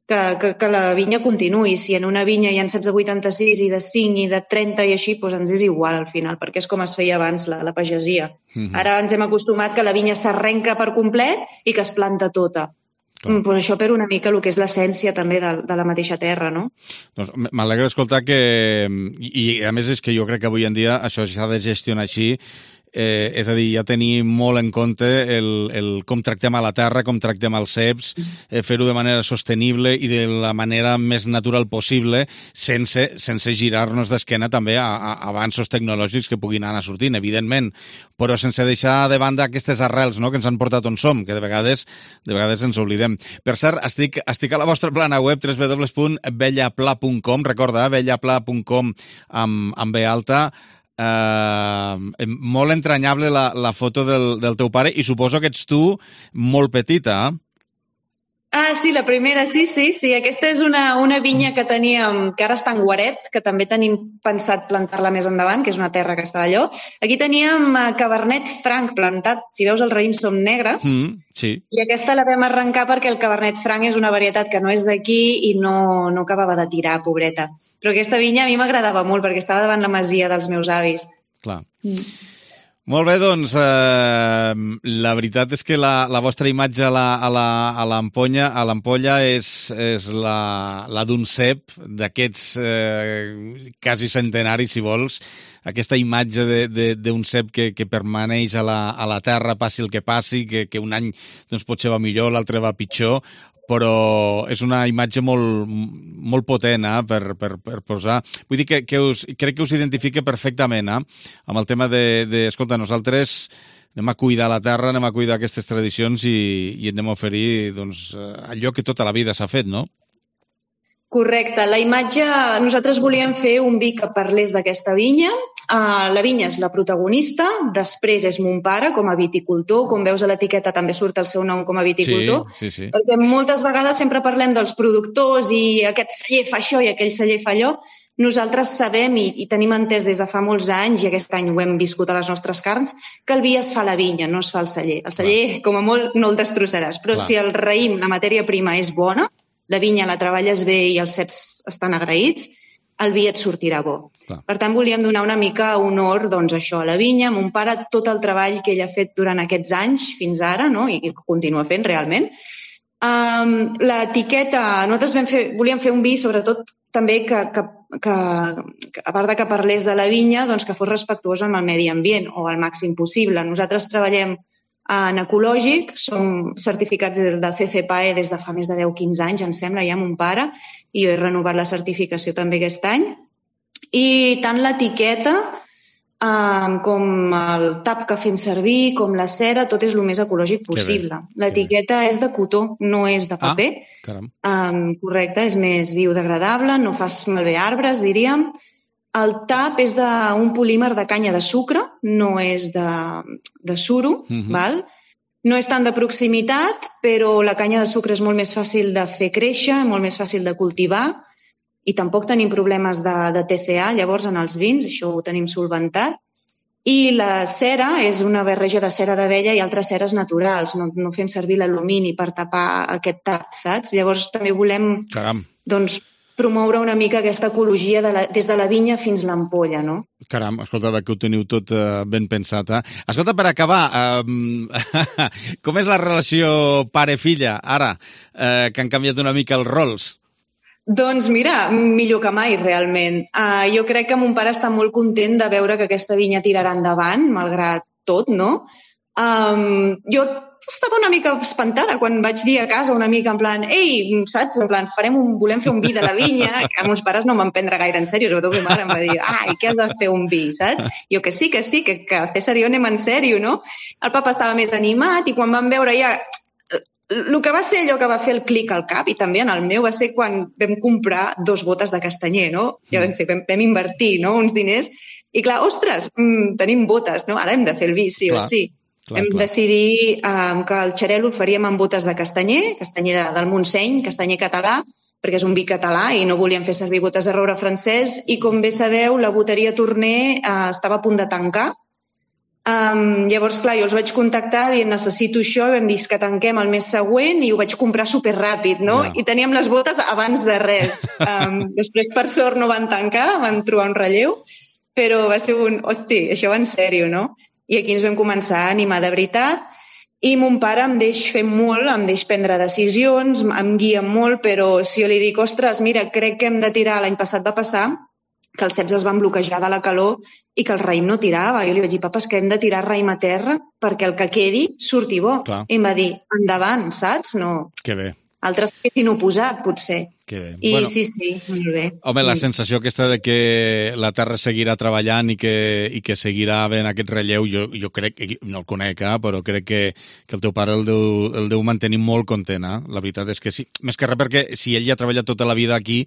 Que, que, que la vinya continuï. Si en una vinya hi ha ceps de vuitanta-sis i de cinc i de trenta i així, doncs ens és igual al final, perquè és com es feia abans la, la pagesia. Mm-hmm. Ara ens hem acostumat que la vinya s'arrenca per complet i que es planta tota. Mm, pues això per una mica el que és l'essència també de, de la mateixa terra, no? Doncs m'alegra escoltar que... I, I a més és que jo crec que avui en dia això s'ha de gestionar així. Eh, és a dir, ja tenir molt en compte el, el com tractem a la terra, com tractem els ceps, eh, fer-ho de manera sostenible i de la manera més natural possible, sense, sense girar-nos d'esquena també a, a avanços tecnològics que puguin anar sortint, evidentment, però sense deixar de banda aquestes arrels, no?, que ens han portat on som, que de vegades de vegades ens oblidem. Per cert, estic, estic a la vostra plana web, w w w punt bellapla punt com, recorda, bellapla punt com amb, amb B alta. Uh, molt entranyable la, la foto del, del teu pare, i suposo que ets tu molt petita, eh? Ah, sí, la primera, sí, sí, sí. Aquesta és una, una vinya que teníem, que ara està en Guaret, que també tenim pensat plantar-la més endavant, que és una terra que està allò. Aquí teníem Cabernet Franc plantat. Si veus, els raïms són negres. Mm, sí. I aquesta la vam arrencar perquè el Cabernet Franc és una varietat que no és d'aquí i no, no acabava de tirar, pobreta. Però aquesta vinya a mi m'agradava molt perquè estava davant la masia dels meus avis. Clar. Mm. Molt bé, doncs, eh, la veritat és que la, la vostra imatge a la, a la, a l'ampolla, a l'ampolla és, és la, la d'un cep d'aquests eh, quasi centenaris, si vols, aquesta imatge d'un cep que, que permaneix a la, a la terra, passi el que passi, que, que un any doncs, potser va millor, l'altre va pitjor, però és una imatge molt, molt potent eh, per, per, per posar. Vull dir que, que us, crec que us identifica perfectament eh, amb el tema de, de, escolta, nosaltres anem a cuidar la terra, anem a cuidar aquestes tradicions i, i anem a oferir doncs, allò que tota la vida s'ha fet, no? Correcte. La imatge, nosaltres volíem fer un vi que parlés d'aquesta vinya. Uh, la vinya és la protagonista, després és mon pare com a viticultor, com veus a l'etiqueta també surt el seu nom com a viticultor. Sí, sí, sí. Perquè moltes vegades sempre parlem dels productors i aquest celler fa això i aquell celler fa allò. Nosaltres sabem i, i tenim entès des de fa molts anys, i aquest any ho hem viscut a les nostres carns, que el vi es fa a la vinya, no es fa al celler. El celler, Clar. com a molt, no el destrossaràs, però Clar. si el raïm, la matèria prima és bona, la vinya la treballes bé i els ceps estan agraïts, el vi et sortirà bo. Clar. Per tant, volíem donar una mica honor doncs, això, a la vinya. Mon pare, tot el treball que ell ha fet durant aquests anys, fins ara, no? I que continua fent realment. Um, l'etiqueta, nosaltres vam fer, volíem fer un vi, sobretot, també que, que, que, que, a part de que parlés de la vinya, doncs que fos respectuós amb el medi ambient, o al màxim possible. Nosaltres treballem en ecològic, som certificats de C C P A E des de fa més de deu quinze anys, em sembla, ja mon pare, i jo he renovat la certificació també aquest any. I tant l'etiqueta um, com el tap que fem servir, com la cera, tot és el més ecològic possible. L'etiqueta és de cotó, no és de paper. Ah, caram. Um, correcte, és més biodegradable, no fas malbé arbres, diríem. El tap és d'un polímer de canya de sucre, no és de, de suro, Mhm. val? No és tant de proximitat, però la canya de sucre és molt més fàcil de fer créixer, molt més fàcil de cultivar, i tampoc tenim problemes de, de T C A, llavors, en els vins, això ho tenim solventat. I la cera és una barreja de cera d'abella i altres ceres naturals, no, no fem servir l'alumini per tapar aquest tap, saps? Llavors també volem Caram. doncs, promoure una mica aquesta ecologia de la, des de la vinya fins l'ampolla, no? Caram, escolta, que ho teniu tot uh, ben pensat, eh? Escolta, per acabar, um, com és la relació pare-filla, ara, uh, que han canviat una mica els rols? Doncs mira, millor que mai, realment. Uh, jo crec que mon pare està molt content de veure que aquesta vinya tirarà endavant, malgrat tot, no? Um, jo estava una mica espantada quan vaig dir a casa una mica en plan, ei, saps? En plan, farem un, volem fer un vi de la vinya, que meus pares no m'han prendre gaire en sèrio, sobretot ma mare em va dir, ai, què has de fer un vi, saps? Jo que sí, que sí, que, que el César i jo anem en sèrio, no? El papa estava més animat i quan vam veure ja... El que va ser allò que va fer el clic al cap, i també en el meu, va ser quan vam comprar dos botes de castanyer, no? Ja vam, vam, vam invertir, no?, uns diners, i clar, ostres, mmm, tenim botes, no? Ara hem de fer el vi, sí clar. o sí. Clar, Hem clar. decidit um, que el xarel·lo el faríem amb botes de castanyer, castanyer de, del Montseny, castanyer català, perquè és un vi català i no volíem fer servir botes de roure francès, i com bé sabeu, la boteria Torner uh, estava a punt de tancar. Um, llavors, clar, jo els vaig contactar dient necessito això, i vam dir que tanquem el mes següent i ho vaig comprar superràpid, no? Yeah. I teníem les botes abans de res. Um, després, per sort, no van tancar, van trobar un relleu, però va ser un, hosti, això va en sèrio, no? I aquí ens vam començar a animar de veritat, i mon pare em deix fer molt, em deix prendre decisions, em guia molt, però si jo li dic, ostres, mira, crec que hem de tirar, l'any passat va passar, que els ceps es van bloquejar de la calor i que el raïm no tirava. Jo li vaig dir, papa, és que hem de tirar raïm a terra perquè el que quedi surti bo. Clar. I em va dir, endavant, saps? No. Que bé. Altres s'haguessin oposat, potser. Que bé. I Bueno. sí, sí, molt bé. Home, la sensació aquesta de que la Terra seguirà treballant i que, i que seguirà havent aquest relleu, jo, jo crec, no el conec, eh, però crec que, que el teu pare el deu, el deu mantenir molt content. Eh? La veritat és que sí. Més que res perquè si ell ja ha treballat tota la vida aquí,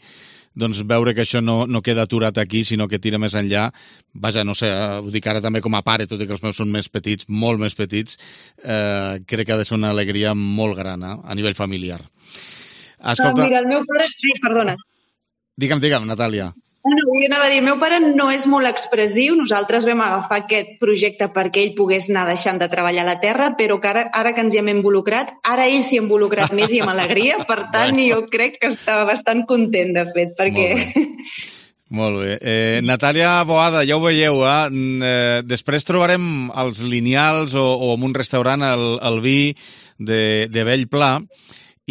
doncs veure que això no, no queda aturat aquí, sinó que tira més enllà. Vaja, no sé, eh, ho dic ara també com a pare, tot i que els meus són més petits, molt més petits, eh, crec que ha de ser una alegria molt gran, eh, a nivell familiar. Escolta... Ah, mira, el meu pare... Ai, perdona. Digue'm, digue'm, Natàlia. No, jo anava a dir, el meu pare no és molt expressiu, nosaltres vam agafar aquest projecte perquè ell pogués anar deixant de treballar a la terra, però que ara, ara que ens hi hem involucrat, ara ell s'hi ha involucrat més i amb alegria, per tant, bueno. Jo crec que estava bastant content, de fet, perquè... Molt bé. Molt bé. Eh, Natàlia Boada, ja ho veieu, eh? eh? Després trobarem els lineals o, o en un restaurant el, el vi de, de Bellpla,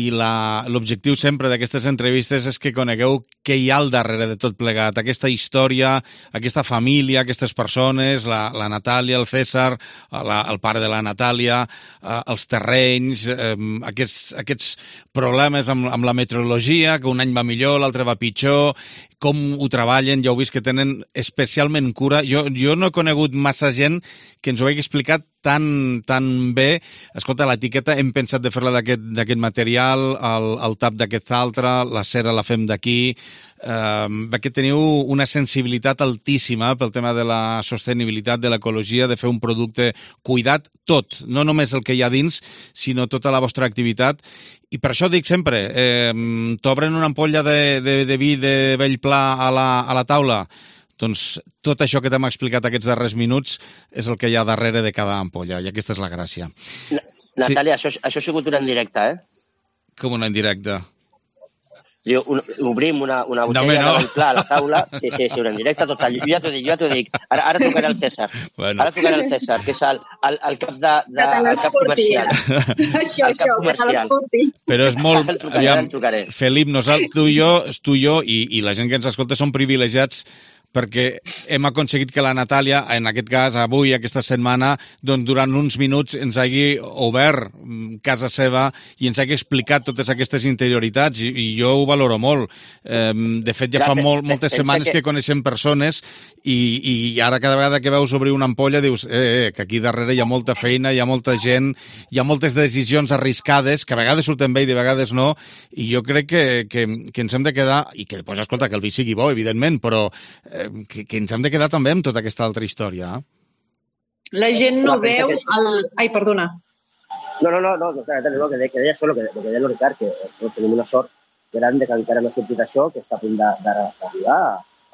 i l'objectiu sempre d'aquestes entrevistes és que conegueu què hi ha al darrere de tot plegat, aquesta història, aquesta família, aquestes persones, la, la Natàlia, el César, la, el pare de la Natàlia, eh, els terrenys, eh, aquests, aquests problemes amb, amb la meteorologia, que un any va millor, l'altre va pitjor, com ho treballen, ja heu vist que tenen especialment cura. Jo, jo no he conegut massa gent que ens ho hagi explicat tan, tan bé. Escolta, l'etiqueta hem pensat de fer-la d'aquest material, el, el tap d'aquest altre, la cera la fem d'aquí, eh, que teniu una sensibilitat altíssima pel tema de la sostenibilitat, de l'ecologia, de fer un producte cuidat, tot, no només el que hi ha dins, sinó tota la vostra activitat. I per això dic sempre, eh, t'obren una ampolla de, de, de vi de Bellpla a la, a la taula, doncs tot això que t'hem explicat aquests darrers minuts és el que hi ha darrere de cada ampolla, i aquesta és la gràcia. Natàlia, sí. això, això ha sigut una en directe, eh? Com una en directe? Diu, un, obrim una, una botella no, no. de Bellpla a la taula, sí, sí, sí, una en directe, total. Jo ja t'ho dic, jo ja t'ho dic. Ara, ara trucaré al César. Bueno. Ara trucaré al César, que és el, el, el cap de, de el cap comercial. Això, el cap això, comercial. Però és molt... Trucaré, aviam, Felip, nosaltres, tu i jo, tu i jo i, i la gent que ens escolta són privilegiats perquè hem aconseguit que la Natàlia, en aquest cas, avui, aquesta setmana, doncs durant uns minuts ens hagi obert casa seva i ens hagi explicat totes aquestes interioritats, i, i jo ho valoro molt. Eh, de fet, ja fa molt, moltes setmanes que coneixem persones i, i ara cada vegada que veus obrir una ampolla dius eh, eh, que aquí darrere hi ha molta feina, hi ha molta gent, hi ha moltes decisions arriscades, que a vegades surten bé i de vegades no, i jo crec que, que, que ens hem de quedar, i que, pues, escolta, que el vi sigui bo, evidentment, però eh, Que, que ens hem de quedar també amb tota aquesta altra història. La gent no veu el... Ai, perdona. No, no, no, no, no, no que, que deia això, el que, que deia el Ricard, que no, tenim una sort gran de que encara no ha sortit això, que està a punt d'arribar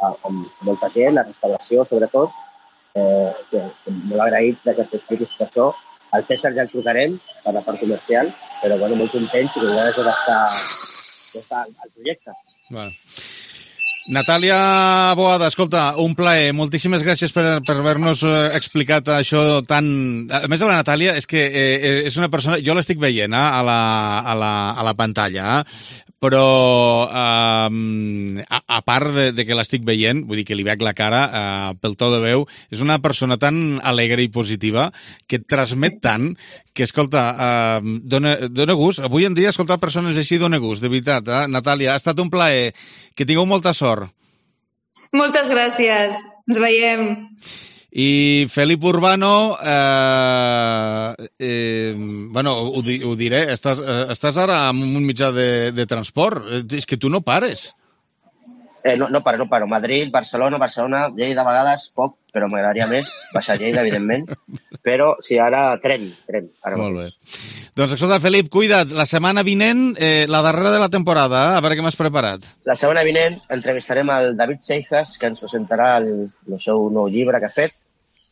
amb molta gent, la restauració, sobretot, eh, que, que molt agraïts que t'expliquis tot això. Al César ja el trucarem per la part comercial, però bueno, molt contents i que ja d'estar al projecte. Bueno. Natàlia Boada, escolta, un plaer. Moltíssimes gràcies per, per haver-nos explicat això tan... A més, a la Natàlia és que eh, és una persona... Jo l'estic veient eh, a, la, a, la, a la pantalla, eh? Però eh, a, a part de, de que l'estic veient, vull dir que li veig la cara eh, pel to de veu, és una persona tan alegre i positiva que et transmet tant que, escolta, eh, dona, dona gust. Avui en dia, escoltar persones així dona gust, de veritat. Eh? Natàlia, ha estat un plaer. Que tingueu molta sort. Moltes gràcies. Ens veiem. I Felip Urbano, eh, eh, bueno, ho, ho diré, estàs, eh, estàs ara en un mitjà de, de transport. És que tu no pares. Eh, no, no paro, no paro. Madrid, Barcelona, Barcelona, Lleida a vegades, poc, però m'agradaria més baixar a Lleida, evidentment. Però sí, ara tren, tren. Ara Molt bé. Doncs escolta, Felip, cuida't. La setmana vinent, eh, la darrera de la temporada, eh? A veure què m'has preparat. La setmana vinent entrevistarem el David Seijas, que ens presentarà el, el seu nou llibre que ha fet.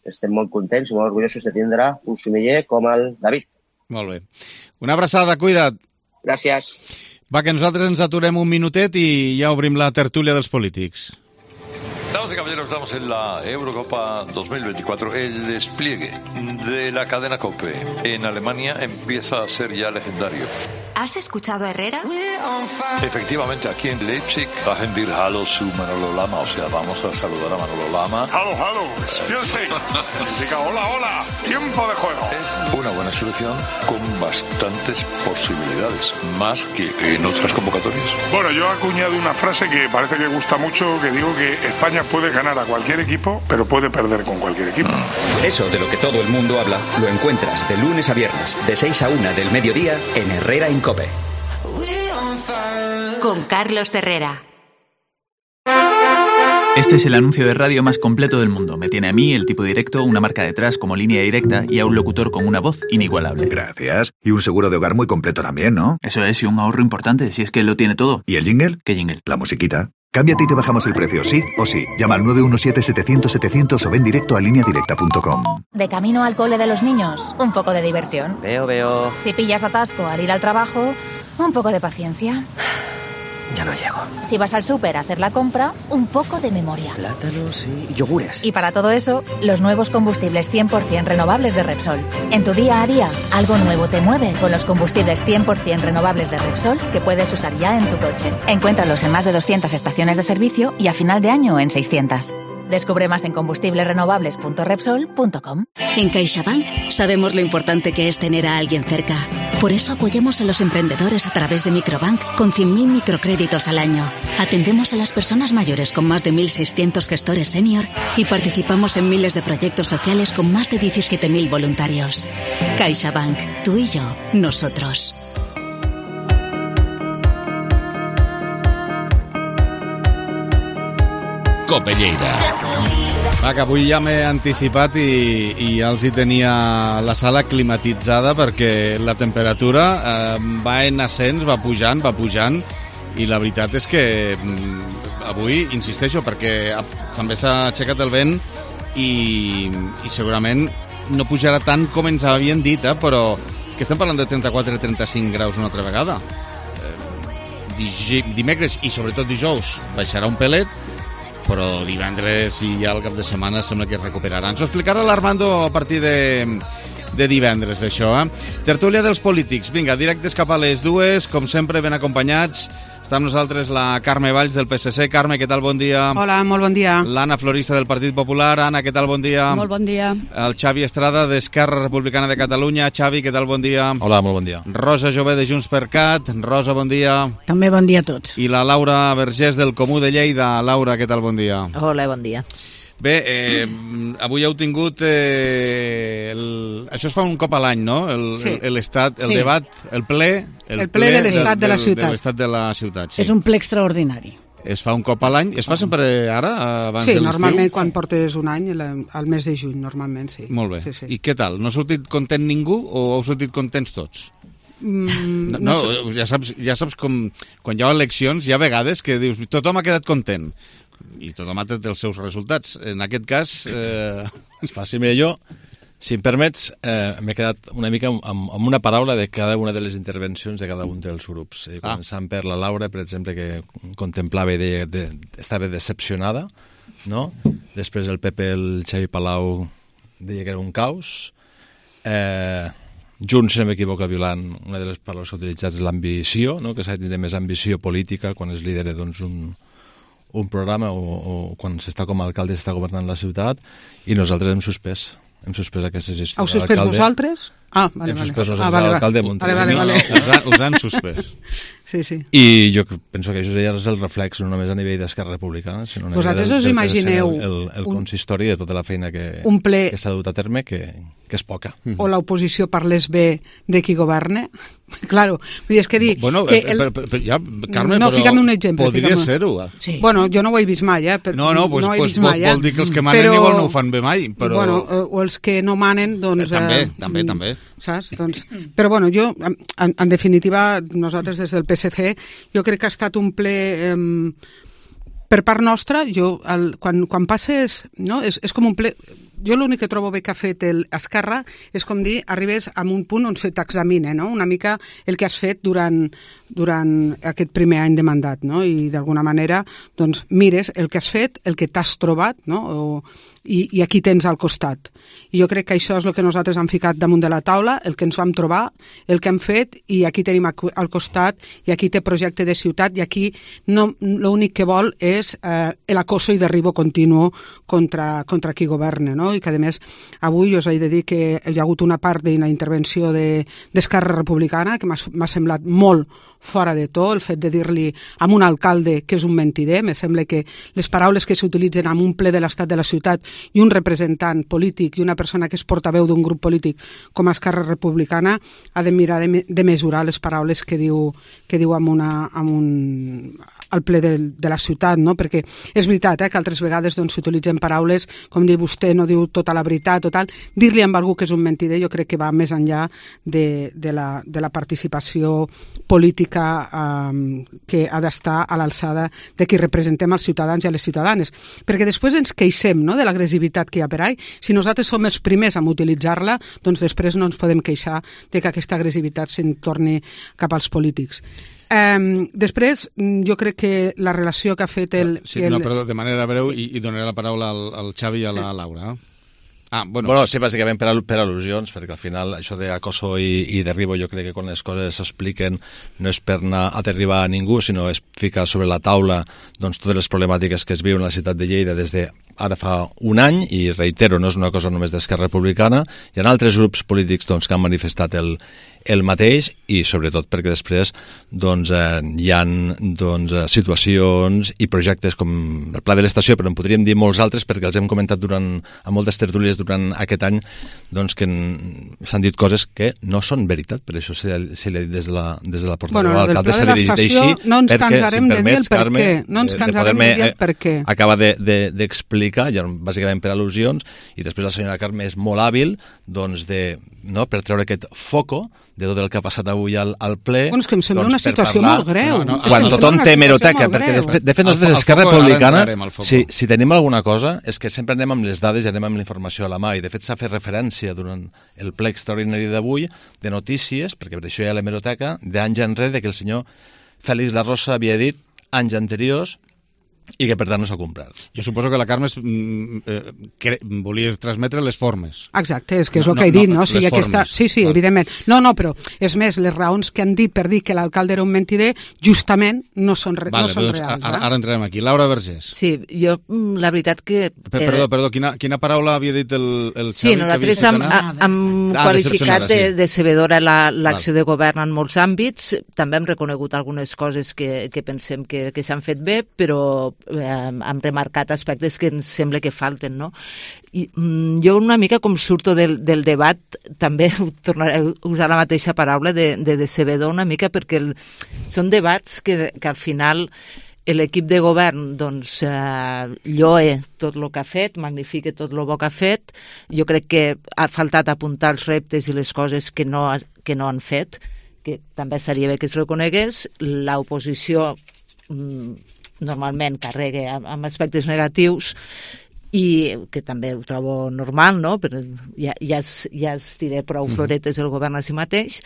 Estem molt contents i molt orgullosos de tindre un sumiller com el David. Molt bé. Una abraçada, cuida't. Gràcies. Va, que nosaltres ens aturem un minutet i ja obrim la tertúlia dels polítics. Damas y caballeros, estamos en la Eurocopa dos mil veinticuatro. El despliegue de la cadena COPE en Alemania empieza a ser ya legendario. ¿Has escuchado a Herrera? Efectivamente, aquí en Leipzig, bajen dir Hallo su Manolo Lama, o sea, vamos a saludar a Manolo Lama. Hallo, hallo, Spielzeit. Significa hola, hola, tiempo de juego. Es una buena selección con bastantes posibilidades, más que en otras convocatorias. Bueno, yo he acuñado una frase que parece que gusta mucho, que digo que España puede ganar a cualquier equipo, pero puede perder con cualquier equipo. Eso de lo que todo el mundo habla, lo encuentras de lunes a viernes, de seis a una del mediodía, en Herrera en COPE. Con Carlos Herrera. Este es el anuncio de radio más completo del mundo. Me tiene a mí, el tipo directo, una marca detrás como línea directa y a un locutor con una voz inigualable. Gracias. Y un seguro de hogar muy completo también, ¿no? Eso es, y un ahorro importante, si es que lo tiene todo. ¿Y el jingle? ¿Qué jingle? La musiquita. Cámbiate y te bajamos el precio, sí o sí. Llama al nueve uno siete, setecientos, setecientos o ven directo a línea directa punto com. De camino al cole de los niños, un poco de diversión. Veo, veo. Si pillas atasco al ir al trabajo, un poco de paciencia. Ya no llego. Si vas al súper a hacer la compra, un poco de memoria. Plátanos y yogures. Y para todo eso, los nuevos combustibles cien por ciento renovables de Repsol. En tu día a día, algo nuevo te mueve con los combustibles cien por ciento renovables de Repsol que puedes usar ya en tu coche. Encuéntralos en más de doscientas estaciones de servicio y a final de año en seiscientas. Descubre más en combustibles renovables punto repsol punto com. En CaixaBank sabemos lo importante que es tener a alguien cerca. Por eso apoyamos a los emprendedores a través de Microbank con cien mil microcréditos al año. Atendemos a las personas mayores con más de mil seiscientos gestores senior y participamos en miles de proyectos sociales con más de diecisiete mil voluntarios. CaixaBank, tú y yo, nosotros. Cope Lleida. Va, que avui ja m'he anticipat i, i ja els hi tenia la sala climatitzada perquè la temperatura eh, va en ascens, va pujant, va pujant i la veritat és que mm, avui, insisteixo, perquè també s'ha aixecat el vent i, i segurament no pujarà tant com ens havien dit, eh, però que estem parlant de trenta-quatre a trenta-cinc graus una altra vegada. Eh, dimecres i sobretot dijous baixarà un pelet, però divendres i ja el cap de setmana sembla que es recuperarà. Ens ho explicarà l'Armando a partir de, de divendres, d'això. Eh? Tertúlia dels polítics. Vinga, directes cap a les dues, com sempre, ben acompanyats. Està amb nosaltres la Carme Valls del P S C. Carme, què tal? Bon dia. Hola, molt bon dia. L'Anna Florista del Partit Popular. Anna, què tal? Bon dia. Molt bon dia. El Xavi Estrada d'Esquerra Republicana de Catalunya. Xavi, què tal? Bon dia. Hola, molt bon dia. Rosa Jové de Junts per Cat. Rosa, bon dia. També bon dia a tots. I la Laura Vergés del Comú de Lleida. Laura, què tal? Bon dia. Hola, bon dia. Bé, eh, avui heu tingut... Eh, el... Això es fa un cop a l'any, no? El, sí. el, l'estat, el sí. debat, el ple... El, el ple, ple de l'estat de la ciutat. De l'estat de la ciutat, sí. És un ple extraordinari. Es fa un cop a l'any? Es fa sempre ara, abans sí, de l'estiu? Sí, normalment quan portes un any, al mes de juny, normalment, sí. Molt bé. Sí, sí. I què tal? No ha sortit content ningú o heu sortit contents tots? Mm, no, no, no ja saps, ja saps com... Quan hi ha eleccions, hi ha vegades que dius tothom ha quedat content. I tothom ha tret els seus resultats. En aquest cas... Eh... És fàcil. Mira, jo, si em permets, eh, m'he quedat una mica amb, amb una paraula de cada una de les intervencions de cada un dels grups. Eh, començant ah. per la Laura, per exemple, que contemplava i deia que de, estava decepcionada, no? Després el Pepe, el Xavi Palau, deia que era un caos. Eh, Junts, si no m'equivoco, Violant, una de les paraules que ha utilitzat és l'ambició, no? Que s'ha de tenir més ambició política quan es lidera doncs, un... un programa o, o quan s'està com a alcalde s'està governant la ciutat i nosaltres hem suspès hem suspès aquesta gestió. Heu suspès vosaltres? Ah, vale, hem vale. suspès nosaltres ah, vale, l'alcalde de Montreal. Vale, vale, vale. No, us, han, us han suspès. Sí, sí. I jo penso que això ja és el reflex no només a nivell d'Esquerra Republicana, sinó a nivell vosaltres del, us del imagineu el, el, el un, consistori de tota la feina que, ple, que s'ha dut a terme, que, que és poca. O l'oposició parlés bé de qui governa? Claro, vull dir, és que dir... Bueno, que el, el, per, per, ja, Carme, no, però fica'm un exemple. Podria ser-ho. Sí. Bueno, jo no ho he vist mai, eh? Per, no, no, pues, no ho he pues, vist mai, vol, vol dir que els que manen però, igual no ho fan bé mai, però... Bueno, o els que no manen, doncs... Eh, també, eh, també, també. Saps? Doncs, però bueno, jo, en, en definitiva, nosaltres des del P S C, jo crec que ha estat un ple... Eh, per part nostra, jo, el, quan, quan passes... No? És, és com un ple... jo l'únic que trobo bé que ha fet el Esquerra és, com dir, arribes a un punt on se t'examina, no? Una mica el que has fet durant, durant aquest primer any de mandat, no? I d'alguna manera doncs, mires el que has fet, el que t'has trobat, no? O, i, i aquí tens al costat. I jo crec que això és el que nosaltres hem ficat damunt de la taula, el que ens vam trobar, el que hem fet, i aquí tenim al costat, i aquí té projecte de ciutat, i aquí no, l'únic que vol és eh, l'acoso i derribo continu contra, contra qui governa, no? I que, a més, avui us he de dir que hi ha hagut una part d'una intervenció d'Esquerra de, Republicana que m'ha semblat molt fora de to, el fet de dir-li a un alcalde que és un mentider. Me sembla que les paraules que s'utilitzen en un ple de l'estat de la ciutat i un representant polític i una persona que és portaveu d'un grup polític com Esquerra Republicana ha de mirar de, de mesurar les paraules que diu, que diu amb una, amb un, al ple de, de la ciutat, no? Perquè és veritat eh, que altres vegades doncs, s'utilitzen paraules com dir vostè no diu tota la veritat o tal. Dir-li a algú que és un mentider jo crec que va més enllà de, de, la, de la participació política eh, que ha d'estar a l'alçada de qui representem als ciutadans i a les ciutadanes. Perquè després ens queixem, no?, de l'agressivitat que hi ha per ahí. Si nosaltres som els primers a utilitzar-la, doncs després no ens podem queixar de que aquesta agressivitat se'n torni cap als polítics. Um, després, jo crec que la relació que ha fet el... Sí, el... no, perdó, de manera breu, sí. i, i donaré la paraula al, al Xavi i a la Laura. Ah, bueno. bueno, sí, bàsicament per, al, per al·lusions, perquè al final això d'acoso i, i derribo jo crec que quan les coses s'expliquen no és per anar a derribar a ningú, sinó és ficar sobre la taula doncs, totes les problemàtiques que es viuen a la ciutat de Lleida des de ara fa un any, i reitero, no és una cosa només d'Esquerra Republicana, hi ha altres grups polítics doncs, que han manifestat el, el mateix, i sobretot perquè després doncs, eh, hi ha doncs, situacions i projectes com el Pla de l'Estació, però en podríem dir molts altres perquè els hem comentat durant, a moltes tertúlies durant aquest any, doncs, que s'han dit coses que no són veritat, per això se li ha dit des de la, des de la portaveu bueno, de l'alcalde, s'ha dirigit així, no ens perquè, cansarem si em de dir el per Carme, què. No ens cansarem de, de dir el per què. Acaba d'explicar, de, de, ja, bàsicament per al·lusions, i després la senyora Carme és molt hàbil doncs, de, no, per treure aquest foco de tot el que ha passat avui al, al ple. Bueno, és que em sembla doncs, una situació parlar, molt greu. No, no, quan tothom té hemeroteca, perquè de, de fet nosaltres Esquerra Republicana, si, si tenim alguna cosa, és que sempre anem amb les dades i anem amb la informació a la mà, i de fet s'ha fet referència durant el ple extraordinari d'avui de notícies, perquè per això hi ha l'hemeroteca, d'anys enrere, que el senyor Félix La Rosa havia dit anys anteriors i que per tant no s'ha complert. Jo suposo que la Carme eh, que volies transmetre les formes. Exacte, és que és no, el que he dit, no? no? O sigui, aquesta... Sí, sí, Val. evidentment. No, no, però és més, les raons que han dit per dir que l'alcalde era un mentider justament no són, re... vale, no són doncs, reals. Ara, eh? ara entrem aquí. Laura Vergés. Sí, jo, la veritat que... Per, perdó, perdó, quina, quina paraula havia dit el, el Xavi? Sí, nosaltres hem, hem ah, qualificat de, de decebedora l'acció la, de govern en molts àmbits, també hem reconegut algunes coses que, que pensem que, que s'han fet bé, però eh, hem remarcat aspectes que ens sembla que falten, no? I mm, jo una mica com surto del, del debat, també tornaré a usar la mateixa paraula de, de decebedor una mica, perquè el, són debats que, que al final l'equip de govern doncs, eh, lloe tot el que ha fet, magnifica tot el bo que ha fet. Jo crec que ha faltat apuntar els reptes i les coses que no, que no han fet, que també seria bé que es reconegués. L'oposició mm, normalment carrega amb aspectes negatius i que també ho trobo normal, no? Però ja, ja, es, ja es tiré prou floretes el govern a si mateix,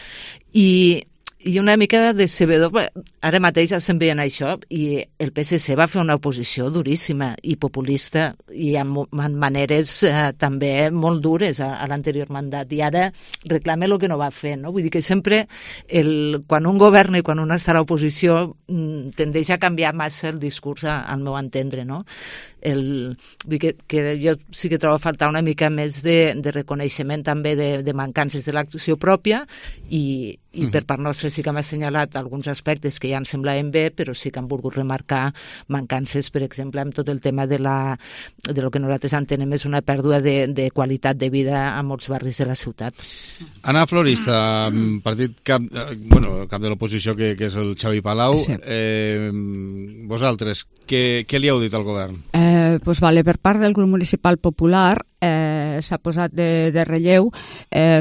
i i una mica decebedor, ara mateix estem veient això, i el P S C va fer una oposició duríssima i populista i amb, amb maneres eh, també molt dures a, a l'anterior mandat, i ara reclama el que no va fer, no? Vull dir que sempre el, quan un governa i quan un està a l'oposició tendeix a canviar massa el discurs a, al meu entendre, no? El, vull dir que, que jo sí que trobo a faltar una mica més de, de reconeixement també de, de mancances de l'acció pròpia, i, i per part nostra sí que m'ha assenyalat alguns aspectes que ja em semblaven bé, però sí que han volgut remarcar mancances, per exemple, amb tot el tema de, la, de lo que nosaltres entenem és una pèrdua de, de qualitat de vida a molts barris de la ciutat. Anna Florista, partit cap, bueno, cap de l'oposició, que, que és el Xavi Palau. Sí. Eh, vosaltres, què, què li heu dit al govern? Eh, pues vale, per part del grup municipal popular eh, s'ha posat de, de relleu eh,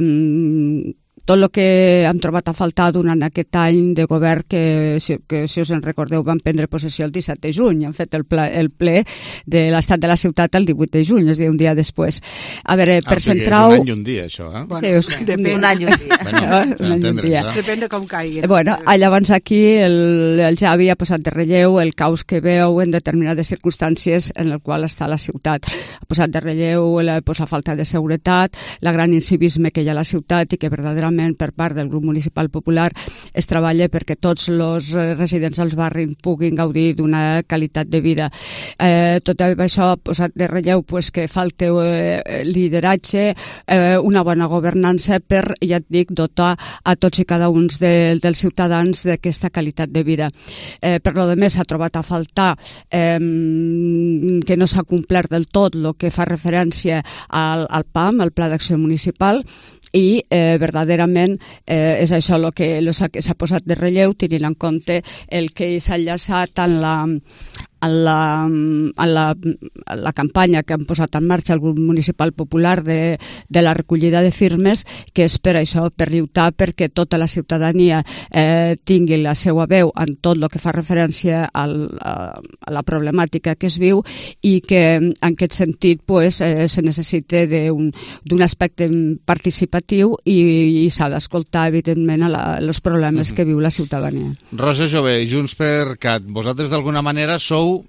tot el que hem trobat a faltar durant aquest any de govern que, si, que, si us en recordeu, van prendre possessió el disset de juny, han fet el ple, el ple de l'estat de la ciutat el divuit de juny, és a dir, un dia després. A veure, per ah, centrar-ho... És un any i un dia, això, eh? Bueno, sí, us... depèn. Un any i un dia. Bueno, un any i un dia. Depèn de com caigui. Bueno, llavors aquí el, el Javi ha posat de relleu el caos que veu en determinades circumstàncies en el qual està la ciutat. Ha posat de relleu la, pues, la falta de seguretat, la gran incivisme que hi ha a la ciutat i que verdaderament per part del grup municipal popular es treballa perquè tots els residents dels barris puguin gaudir d'una qualitat de vida. Eh, tot això ha posat de relleu pues, que falta eh, lideratge, eh, una bona governança per, ja et dic, dotar a tots i cada un de, dels ciutadans d'aquesta qualitat de vida. Eh, per lo de més, s'ha trobat a faltar eh, que no s'ha complert del tot el que fa referència al, al P A M, al Pla d'Acció Municipal, i eh, verdaderament eh, és això el que s'ha posat de relleu, tenint en compte el que s'ha enllaçat en la, en la, en la, en la campanya que han posat en marxa el grup municipal popular de, de la recollida de firmes, que és per això, per lluitar perquè tota la ciutadania eh, tingui la seva veu en tot el que fa referència al, a, a la problemàtica que es viu i que en aquest sentit pues, eh, se necessita d'un aspecte participatiu i, i s'ha d'escoltar evidentment a la, els problemes uh -huh. que viu la ciutadania. Rosa Jové, Junts per Cat, vosaltres d'alguna manera sou,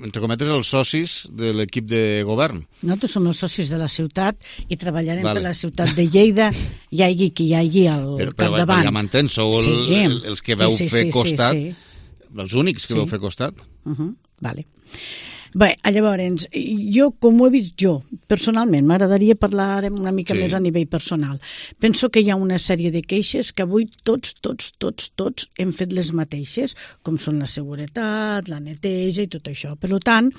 entre cometes, els socis de l'equip de govern. Nosaltres som els socis de la ciutat i treballarem vale. per la ciutat de Lleida, hi hagi qui hi hagi al però, però, capdavant. Però ja m'entens, sou el, sí. el, els que veu sí, sí, fer sí, costat, sí, sí. els únics que sí. veu fer costat. Uh -huh. Vale. Bé, llavors, jo, com ho he vist jo, personalment, m'agradaria parlar una mica sí. més a nivell personal. Penso que hi ha una sèrie de queixes que avui tots, tots, tots, tots hem fet les mateixes, com són la seguretat, la neteja i tot això. Per tant,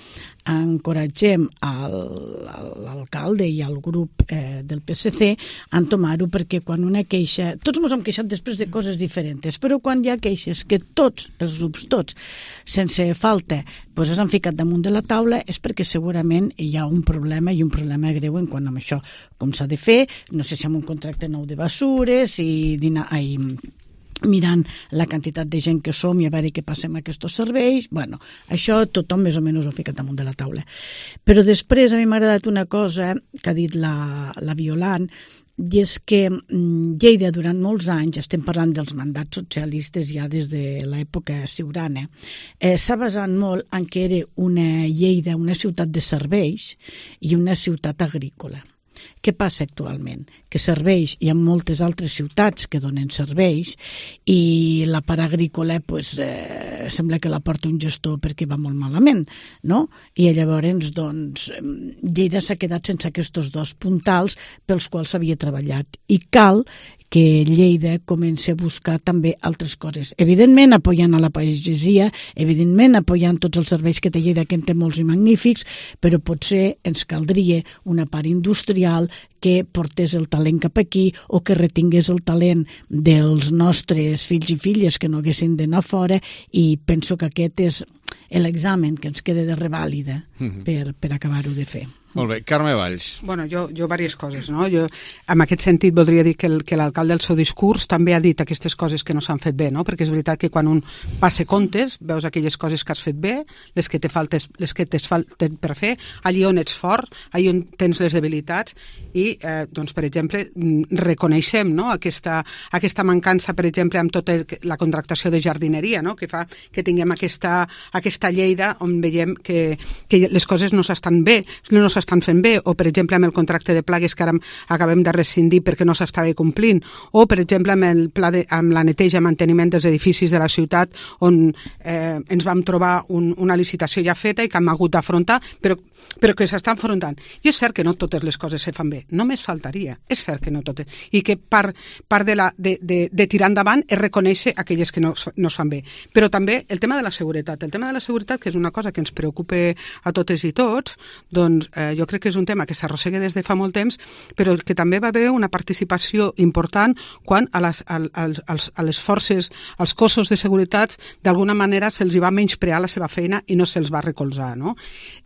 encoratgem l'alcalde i al grup eh, del P S C a entomar-ho, perquè quan una queixa... Tots ens hem queixat després de coses diferents, però quan hi ha queixes que tots, els grups tots, sense falta, doncs s'han ficat damunt de la taula, és perquè segurament hi ha un problema i un problema greu en quant a això. Com s'ha de fer, no sé si amb un contracte nou de bessures i, i mirant la quantitat de gent que som i a veure què passa amb aquests serveis. Bueno, això tothom més o menys ho ha ficat damunt de la taula. Però després a mi m'ha agradat una cosa que ha dit la, la Violant, i és que Lleida durant molts anys, estem parlant dels mandats socialistes ja des de l'època ciurana, eh, s'ha basat molt en que era una Lleida, una ciutat de serveis i una ciutat agrícola. Què passa actualment? Que serveis, hi ha moltes altres ciutats que donen serveis i la part agrícola pues, eh, sembla que la porta un gestor perquè va molt malament, no? I llavors doncs, Lleida s'ha quedat sense aquests dos puntals pels quals s'havia treballat i cal que Lleida comenci a buscar també altres coses. Evidentment, apoyant a la pagesia, evidentment, apoyant tots els serveis que té Lleida, que en té molts i magnífics, però potser ens caldria una part industrial que portés el talent cap aquí o que retingués el talent dels nostres fills i filles que no haguessin d'anar fora, i penso que aquest és l'examen que ens queda de revàlida mm-hmm. per, per acabar-ho de fer. Molt bé. Carme Valls. Bueno, jo, jo diverses coses, no? Jo, en aquest sentit, voldria dir que, el, que l'alcalde del seu discurs també ha dit aquestes coses que no s'han fet bé, no? Perquè és veritat que quan un passa comptes, veus aquelles coses que has fet bé, les que te faltes, les que t'es falten per fer, allí on ets fort, allí on tens les debilitats, i, eh, doncs, per exemple, reconeixem, no? aquesta, aquesta mancança, per exemple, amb tota la contractació de jardineria, no? Que fa que tinguem aquesta, aquesta Lleida on veiem que, que les coses no s'estan bé, no s'estan estan fent bé, o per exemple amb el contracte de plagues que ara acabem de rescindir perquè no s'estava complint, o per exemple amb, el pla de, amb la neteja i manteniment dels edificis de la ciutat on eh, ens vam trobar un, una licitació ja feta i que hem hagut d'afrontar, però, però que s'està enfrontant. I és cert que no totes les coses se fan bé, només faltaria, és cert que no totes, i que part, part de, la, de, de, de tirar endavant és reconèixer aquelles que no, no es fan bé. Però també el tema de la seguretat, el tema de la seguretat, que és una cosa que ens preocupa a totes i tots, doncs eh, jo crec que és un tema que s'arrossega des de fa molt temps, però que també va haver una participació important quan a les, a, a, a les forces, als cossos de seguretat, d'alguna manera se'ls va menysprear la seva feina i no se'ls va recolzar, no?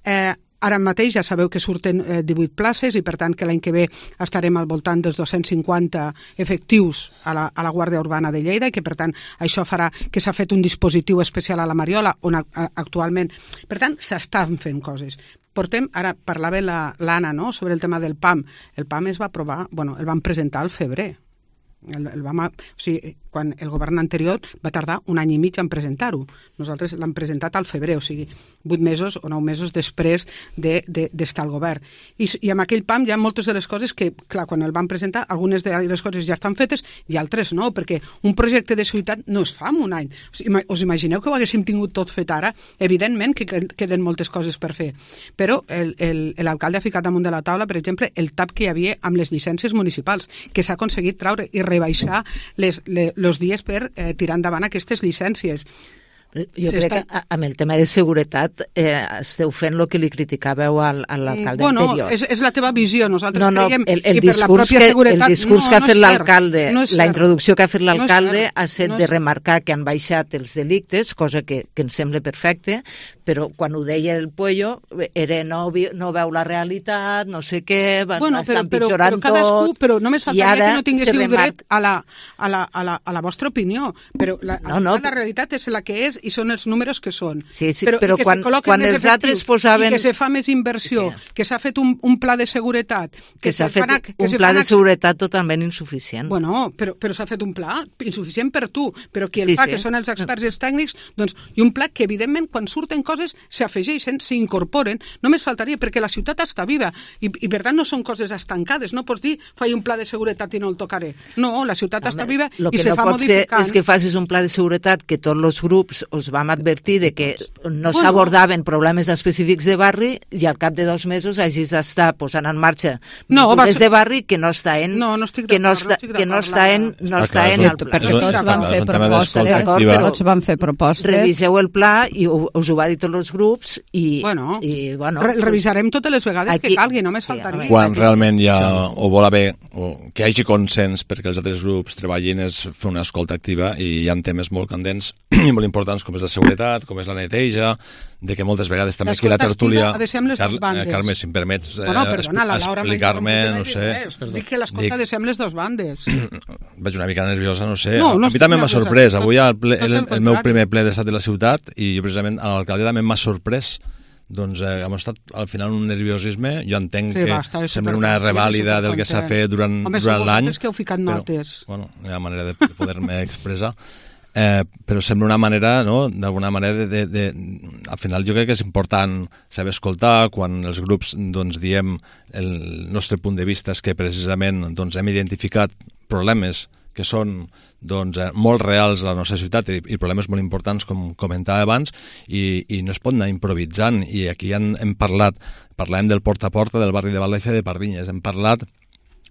Eh, Ara mateix ja sabeu que surten eh, divuit places i per tant que l'any que ve estarem al voltant dels dos-cents cinquanta efectius a la, a la Guàrdia Urbana de Lleida i que per tant això farà que s'ha fet un dispositiu especial a la Mariola on a, a, actualment... Per tant, s'estan fent coses. Portem, ara parlava l'Anna, no?, sobre el tema del P A M. El P A M es va aprovar, bueno, el van presentar al febrer. El, el vam, o sigui, quan el govern anterior va tardar un any i mig en presentar-ho. Nosaltres l'hem presentat al febrer, o sigui, vuit mesos o nou mesos després d'estar de, de, al govern. I, I amb aquell P A M hi ha moltes de les coses que, clar, quan el van presentar, algunes de les coses ja estan fetes i altres no, perquè un projecte de ciutat no es fa en un any. O sigui, us imagineu que ho haguéssim tingut tot fet ara? Evidentment que queden moltes coses per fer. Però l'alcalde ha ficat damunt de la taula, per exemple, el tap que hi havia amb les llicències municipals, que s'ha aconseguit traure i rebaixar les, les, els dies per eh, tirar endavant aquestes llicències. Jo crec que amb el tema de seguretat eh, esteu fent el que li criticàveu al, a l'alcalde bueno, anterior. És, és la teva visió. Nosaltres no, no, creiem el, el que per la pròpia que, seguretat... El discurs no, que ha no fet l'alcalde, no la introducció que ha fet l'alcalde no ha set no de remarcar que han baixat els delictes, cosa que, que ens sembla perfecte, però quan ho deia el Puello era no, no veu la realitat, no sé què, bueno, està però, empitjorant però, però cadascú, tot... Però només faltaria que no tinguéssiu remarca... dret a la, a, la, a, la, a la vostra opinió, però la, no, no, la realitat és la que és i són els números que són. Sí, sí, però, però quan, quan els altres posaven... I que se fa més inversió, sí. que s'ha fet un, un pla de seguretat... Que, que s'ha fet fan, que un pla de seguretat totalment insuficient. Bueno, però, però s'ha fet un pla insuficient per tu, però qui el sí, fa, sí. que són els experts i els tècnics, doncs, i un pla que, evidentment, quan surten coses, s'afegeixen, s'incorporen, només faltaria, perquè la ciutat està viva, i, i per tant no són coses estancades, no pots dir, faig un pla de seguretat i no el tocaré. No, la ciutat Home, està viva i se no fa modificant. Lo que no pot ser és que facis un pla de seguretat que tots els grups us vam advertir de que no bueno, s'abordaven problemes específics de barri i al cap de dos mesos hagis d'estar posant en marxa no, mesures ser... de barri que no està en no, no que no està, no que no està en no està en el pla. Perquè tots van fer propostes, tots van fer propostes. Reviseu el pla i us ho va dir tots els grups i bueno, i bueno, re revisarem totes les vegades aquí, que calgui, només faltaria. Quan aquí, realment hi ha o vol haver o que hi hagi consens perquè els altres grups treballin és fer una escolta activa i hi ha temes molt candents i molt importants com és la seguretat, com és la neteja, de que moltes vegades també aquí la tertúlia... Car Carme, si em permets eh, bueno, perdona, explicar-me, no sé... Dic que l'escolta ha de ser amb les dues bandes. Vaig una mica nerviosa, no sé. No, no a mi també m'ha sorprès. Avui el, ple, el, el, el meu primer ple d'estat de la ciutat i jo precisament a l'alcalde també m'ha sorprès. Doncs eh, hem estat al final un nerviosisme, jo entenc sí, que va, sembla una revàlida del que s'ha fet durant, durant l'any. Home, que heu ficat notes. Però, bueno, hi ha manera de poder-me expressar. Eh, però sembla una manera, no?, d'alguna manera de, de, de... Al final jo crec que és important saber escoltar quan els grups doncs, diem el nostre punt de vista és que precisament doncs, hem identificat problemes que són doncs, molt reals a la nostra ciutat i, i problemes molt importants, com comentava abans, i, i no es pot anar improvisant. I aquí hem, hem parlat, parlàvem del porta a porta del barri de Balaifa de Pardinyes, hem parlat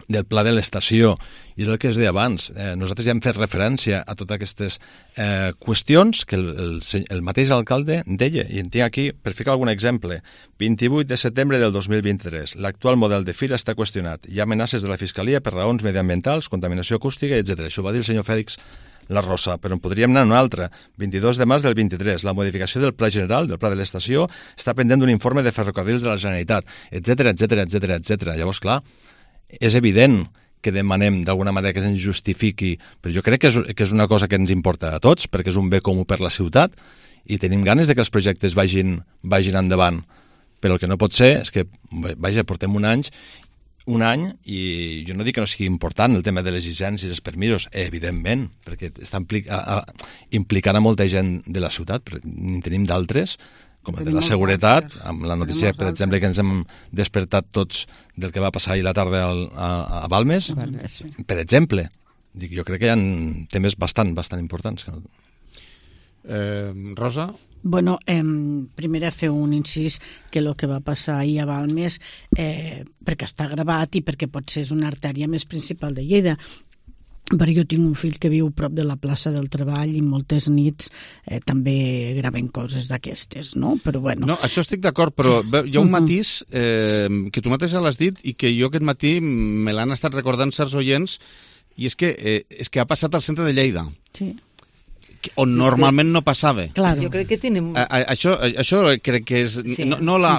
del pla de l'estació, i és el que es deia abans. Eh, nosaltres ja hem fet referència a totes aquestes eh, qüestions que el, el, el mateix alcalde deia, i en tinc aquí, per ficar algun exemple, vint-i-vuit de setembre del dos mil vint-i-tres. L'actual model de fira està qüestionat. Hi ha amenaces de la Fiscalia per raons mediambientals, contaminació acústica, etcètera. Això ho va dir el senyor Fèlix La Rosa, però en podríem anar a una altra. vint-i-dos de març del vint-i-tres, la modificació del pla general, del pla de l'estació, està pendent d'un informe de ferrocarrils de la Generalitat, etcètera, etcètera, etcètera, etcètera. Llavors, clar, és evident que demanem d'alguna manera que se'ns justifiqui, però jo crec que és, que és una cosa que ens importa a tots, perquè és un bé comú per la ciutat, i tenim ganes de que els projectes vagin, vagin endavant. Però el que no pot ser és que, vaja, portem un any, un any, i jo no dic que no sigui important el tema de les llicències, els permisos, evidentment, perquè està implica, a, a, implicant a molta gent de la ciutat, però ni tenim d'altres, com el de la seguretat, amb la notícia, per exemple, que ens hem despertat tots del que va passar ahir la tarda al, a, a Balmes, Balmes sí. Per exemple. Dic, jo crec que hi ha temes bastant, bastant importants. Eh, Rosa? Bueno, eh, primer fer un incís que el que va passar ahir a Balmes, eh, perquè està gravat i perquè potser és una artèria més principal de Lleida, però jo tinc un fill que viu prop de la plaça del Treball i moltes nits eh, també graven coses d'aquestes, no? Però bueno... No, això estic d'acord, però hi ha un matís eh, que tu mateixa l'has dit i que jo aquest matí me l'han estat recordant certs oients, i és que, eh, és que ha passat al centre de Lleida. Sí. on normalment no passava. Claro. Jo crec que tenim... A, a, això, això crec que és... Sí. No, no la,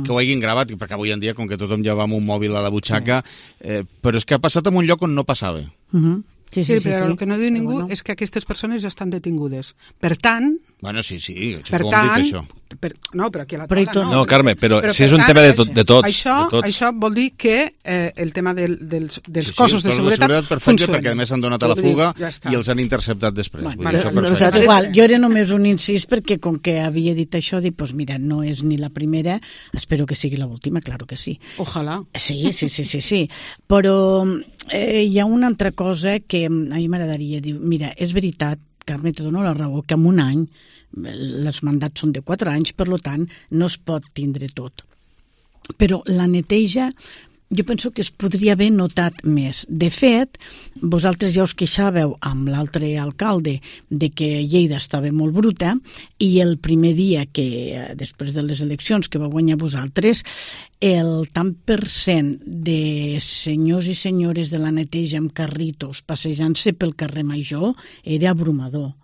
que ho hagin gravat, perquè avui en dia, com que tothom ja va amb un mòbil a la butxaca, eh, però és que ha passat en un lloc on no passava. Uh-huh. Sí, sí, sí, sí, però sí. El que no diu ningú bueno. és que aquestes persones ja estan detingudes. Per tant... Bueno, sí, sí, per tant, dit, això. Per, no, però aquí a la taula no. No, Carme, però, però si és un tant, tema de, to, de tots. Això, de tots. Això vol dir que eh, el tema del, dels, dels sí, cossos sí, de seguretat, de seguretat perfecte, funciona. perquè a més han donat a la fuga ja i els han interceptat després. Bueno, Vull dir, però, això no, igual, jo era només un incís perquè com que havia dit això, dic, pues mira, no és ni la primera, espero que sigui l'última, claro que sí. Ojalà. Sí, sí, sí, sí, sí. Però eh, hi ha una altra cosa que a mi m'agradaria dir, mira, és veritat, Carme, te dono la raó, que en un any els mandats són de quatre anys, per tant, no es pot tindre tot. Però la neteja, jo penso que es podria haver notat més. De fet, vosaltres ja us queixàveu amb l'altre alcalde de que Lleida estava molt bruta i el primer dia que, després de les eleccions que va guanyar vosaltres, el tant per cent de senyors i senyores de la neteja amb carritos passejant-se pel carrer Major era abrumador.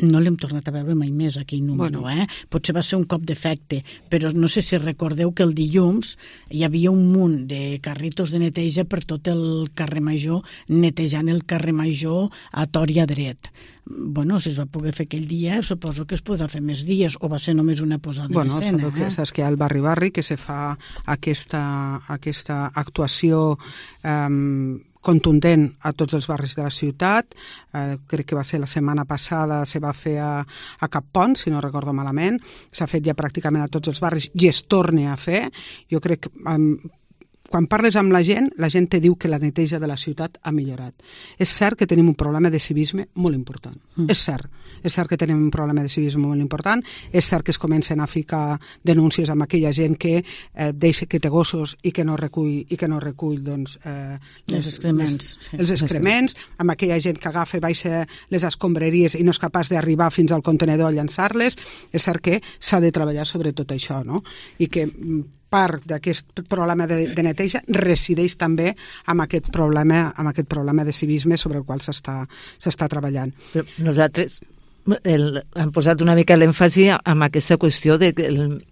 No l'hem tornat a veure mai més, aquell número, bueno. eh? Potser va ser un cop d'efecte, però no sé si recordeu que el dilluns hi havia un munt de carritos de neteja per tot el carrer Major, netejant el carrer Major a tort i a dret. Bueno, si es va poder fer aquell dia, suposo que es podrà fer més dies, o va ser només una posada bueno, en escena. Bueno, eh? saps que hi ha el barri-barri que se fa aquesta, aquesta actuació eh, contundent a tots els barris de la ciutat. Eh, crec que va ser la setmana passada, se va fer a, a Cap Pont, si no recordo malament. S'ha fet ja pràcticament a tots els barris i es torna a fer. Jo crec que... Eh, quan parles amb la gent, la gent te diu que la neteja de la ciutat ha millorat. És cert que tenim un problema de civisme molt important. Mm. És cert. És cert que tenim un problema de civisme molt important. És cert que es comencen a ficar denúncies amb aquella gent que eh, deixa que té gossos i que no recull, i que no recull doncs, eh, les, els excrements. Les, els excrements, amb aquella gent que agafa i baixa les escombraries i no és capaç d'arribar fins al contenedor a llançar-les. És cert que s'ha de treballar sobre tot això, no? I que part d'aquest problema de, de neteja resideix també amb aquest problema, amb aquest problema de civisme sobre el qual s'està s'està treballant. Però nosaltres el, hem posat una mica l'èmfasi en aquesta qüestió de que el,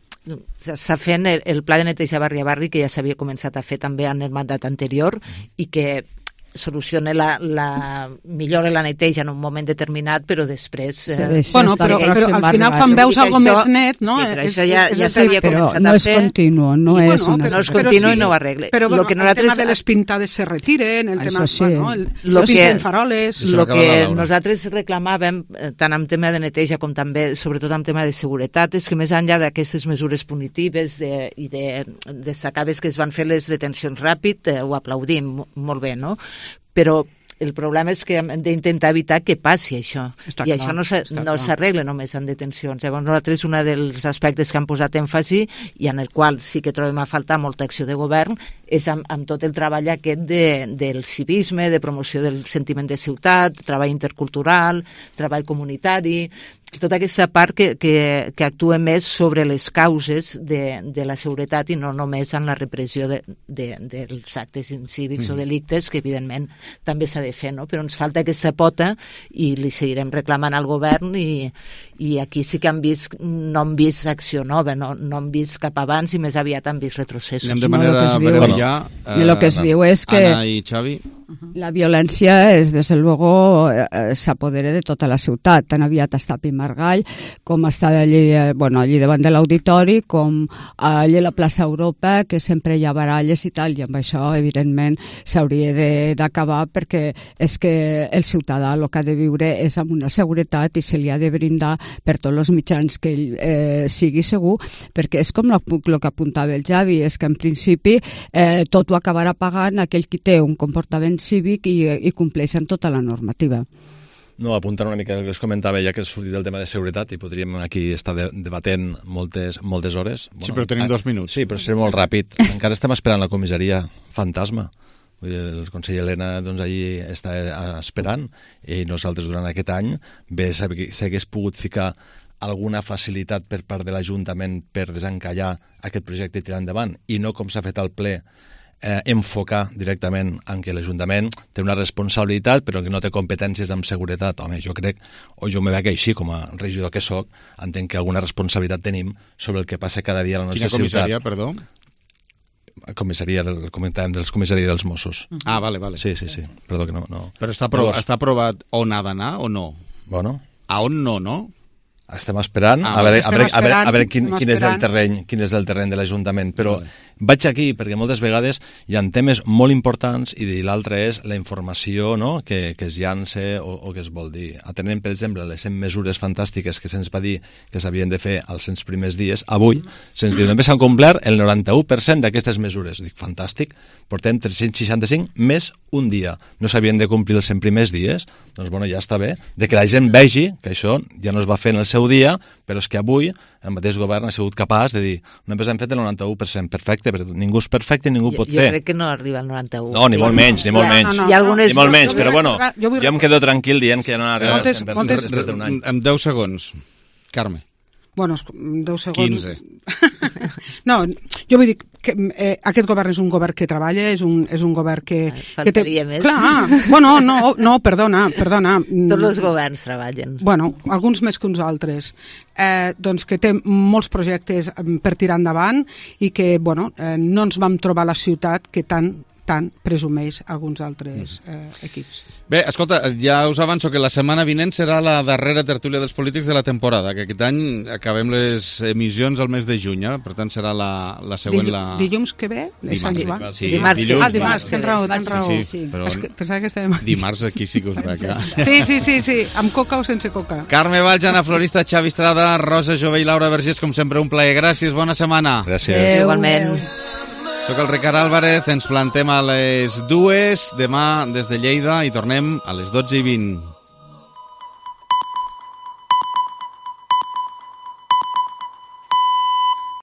s'ha fent el, el pla de neteja barri a barri que ja s'havia començat a fer també en el mandat anterior i que soluciona la, la millora la neteja en un moment determinat, però després... Eh, bueno, però, però al final quan veus algo més net, no? Sí, però això ja, ja s'havia començat a fer. No és continu, no I, és bueno, una... però, no és continu i no ho arregle. Però bueno, lo que el nosaltres... tema de les pintades se retiren, el això tema... Sí. Bueno, el, lo se pinten faroles... El que nosaltres reclamàvem, tant en tema de neteja com també, sobretot en tema de seguretat, és que més enllà d'aquestes mesures punitives de, i de destacaves que es van fer les detencions ràpid, eh, ho aplaudim molt bé, no? Però el problema és que hem d'intentar evitar que passi això. Està I clar, això no s'arregla no només en detencions. Llavors nosaltres un dels aspectes que han posat èmfasi i en el qual sí que trobem a faltar molta acció de govern és amb, amb tot el treball aquest de, del civisme, de promoció del sentiment de ciutat, treball intercultural, treball comunitari, tota aquesta part que, que, que actua més sobre les causes de, de la seguretat i no només en la repressió de, de, dels actes incívics mm. o delictes, que evidentment també s'ha de fer, no? Però ens falta aquesta pota i li seguirem reclamant al govern i, i aquí sí que han vist, no han vist acció nova, no, no han vist cap abans i més aviat han vist retrocessos. Anem de manera no, breu ja. Eh, lo que es viu és que Anna i Xavi. La violència és, des de luego, eh, s'apodera de tota la ciutat. Tan aviat està a Pimargall, com està allí, eh, bueno, allí davant de l'auditori, com allí a la plaça Europa, que sempre hi ha baralles i tal, i amb això, evidentment, s'hauria d'acabar perquè és que el ciutadà el que ha de viure és amb una seguretat i se li ha de brindar per tots els mitjans que ell eh, sigui segur, perquè és com el que apuntava el Javi, és que en principi eh, tot ho acabarà pagant aquell qui té un comportament cívic i, i compleixen tota la normativa. No, apuntant una mica el que us comentava, ja que has sortit del tema de seguretat i podríem aquí estar de, debatent moltes, moltes hores. Bueno, sí, però tenim dos minuts. Sí, però seré molt ràpid. Encara estem esperant la comissaria fantasma. Vull dir, el conseller Elena doncs, allí està esperant i nosaltres durant aquest any bé s'hagués pogut ficar alguna facilitat per part de l'Ajuntament per desencallar aquest projecte i tirar endavant, i no com s'ha fet al ple eh, enfocar directament en què l'Ajuntament té una responsabilitat però que no té competències amb seguretat. Home, jo crec, o jo me veig així com a regidor que soc, entenc que alguna responsabilitat tenim sobre el que passa cada dia a la nostra ciutat. Quina comissaria, perdó? Comissaria del, comentàvem dels comissaria dels Mossos. Ah, vale, vale. Sí, sí, sí. Perdó que no... no. Però està, aprovat, Llavors... està aprovat on ha d'anar o no? Bueno. A on no, no? Estem esperant, ah, a veure, a veure, a veure, a veure quin, quin, és el terreny, quin és el terreny de l'Ajuntament, però vale. Vaig aquí perquè moltes vegades hi ha temes molt importants i l'altre és la informació, no?, que, que es llança o, o que es vol dir. Atenent, per exemple, les cent mesures fantàstiques que se'ns va dir que s'havien de fer als cent primers dies, avui se'ns diu només s'han complert el noranta-u per cent d'aquestes mesures. Dic, fantàstic, portem tres-cents seixanta-cinc més un dia. No s'havien de complir els cent primers dies? Doncs, bueno, ja està bé, de que la gent vegi que això ja no es va fer en el seu dia, però és que avui el mateix govern ha sigut capaç de dir només hem fet el noranta-u per cent, perfecte, perquè ningú és perfecte i ningú jo, pot jo fer. Jo crec que no arriba al noranta-u. No, ni molt menys, ni molt ja, menys. No, no, Hi ha algunes... Ni molt menys, però bueno, jo, vull... jo em quedo tranquil dient que ja no arriba moltes, al cent per cent moltes... res d'un any. En deu segons, Carme. Bueno, deu segons... quinze. No, jo vull dir que eh, aquest govern és un govern que treballa, és un, és un govern que... Faltaria que té... més. Clar, bueno, no, no, perdona, perdona. Tots els governs treballen. Bueno, alguns més que uns altres. Eh, doncs que té molts projectes per tirar endavant i que, bueno, eh, no ens vam trobar la ciutat que tant tant presumeix alguns altres eh, equips. Bé, escolta, ja us avanço que la setmana vinent serà la darrera tertúlia dels polítics de la temporada, que aquest any acabem les emissions al mes de juny, eh? Per tant serà la, la següent... Dillu la... Dilluns que ve? Dimarts, dimarts, sí. Dimarts, dilluns, ah, dimarts, tens raó, tens raó. Sí, sí, però es que, pensava que estàvem... dimarts aquí sí que us veig. Sí, sí, sí, sí, amb coca o sense coca. Carme Valls, Anna Florista, Xavi Estrada, Rosa Jové i Laura Vergés, com sempre, un plaer. Gràcies, bona setmana. Gràcies. Adéu, igualment. Soc el Ricard Álvarez, ens plantem a les dues, demà des de Lleida i tornem a les dotze i vint.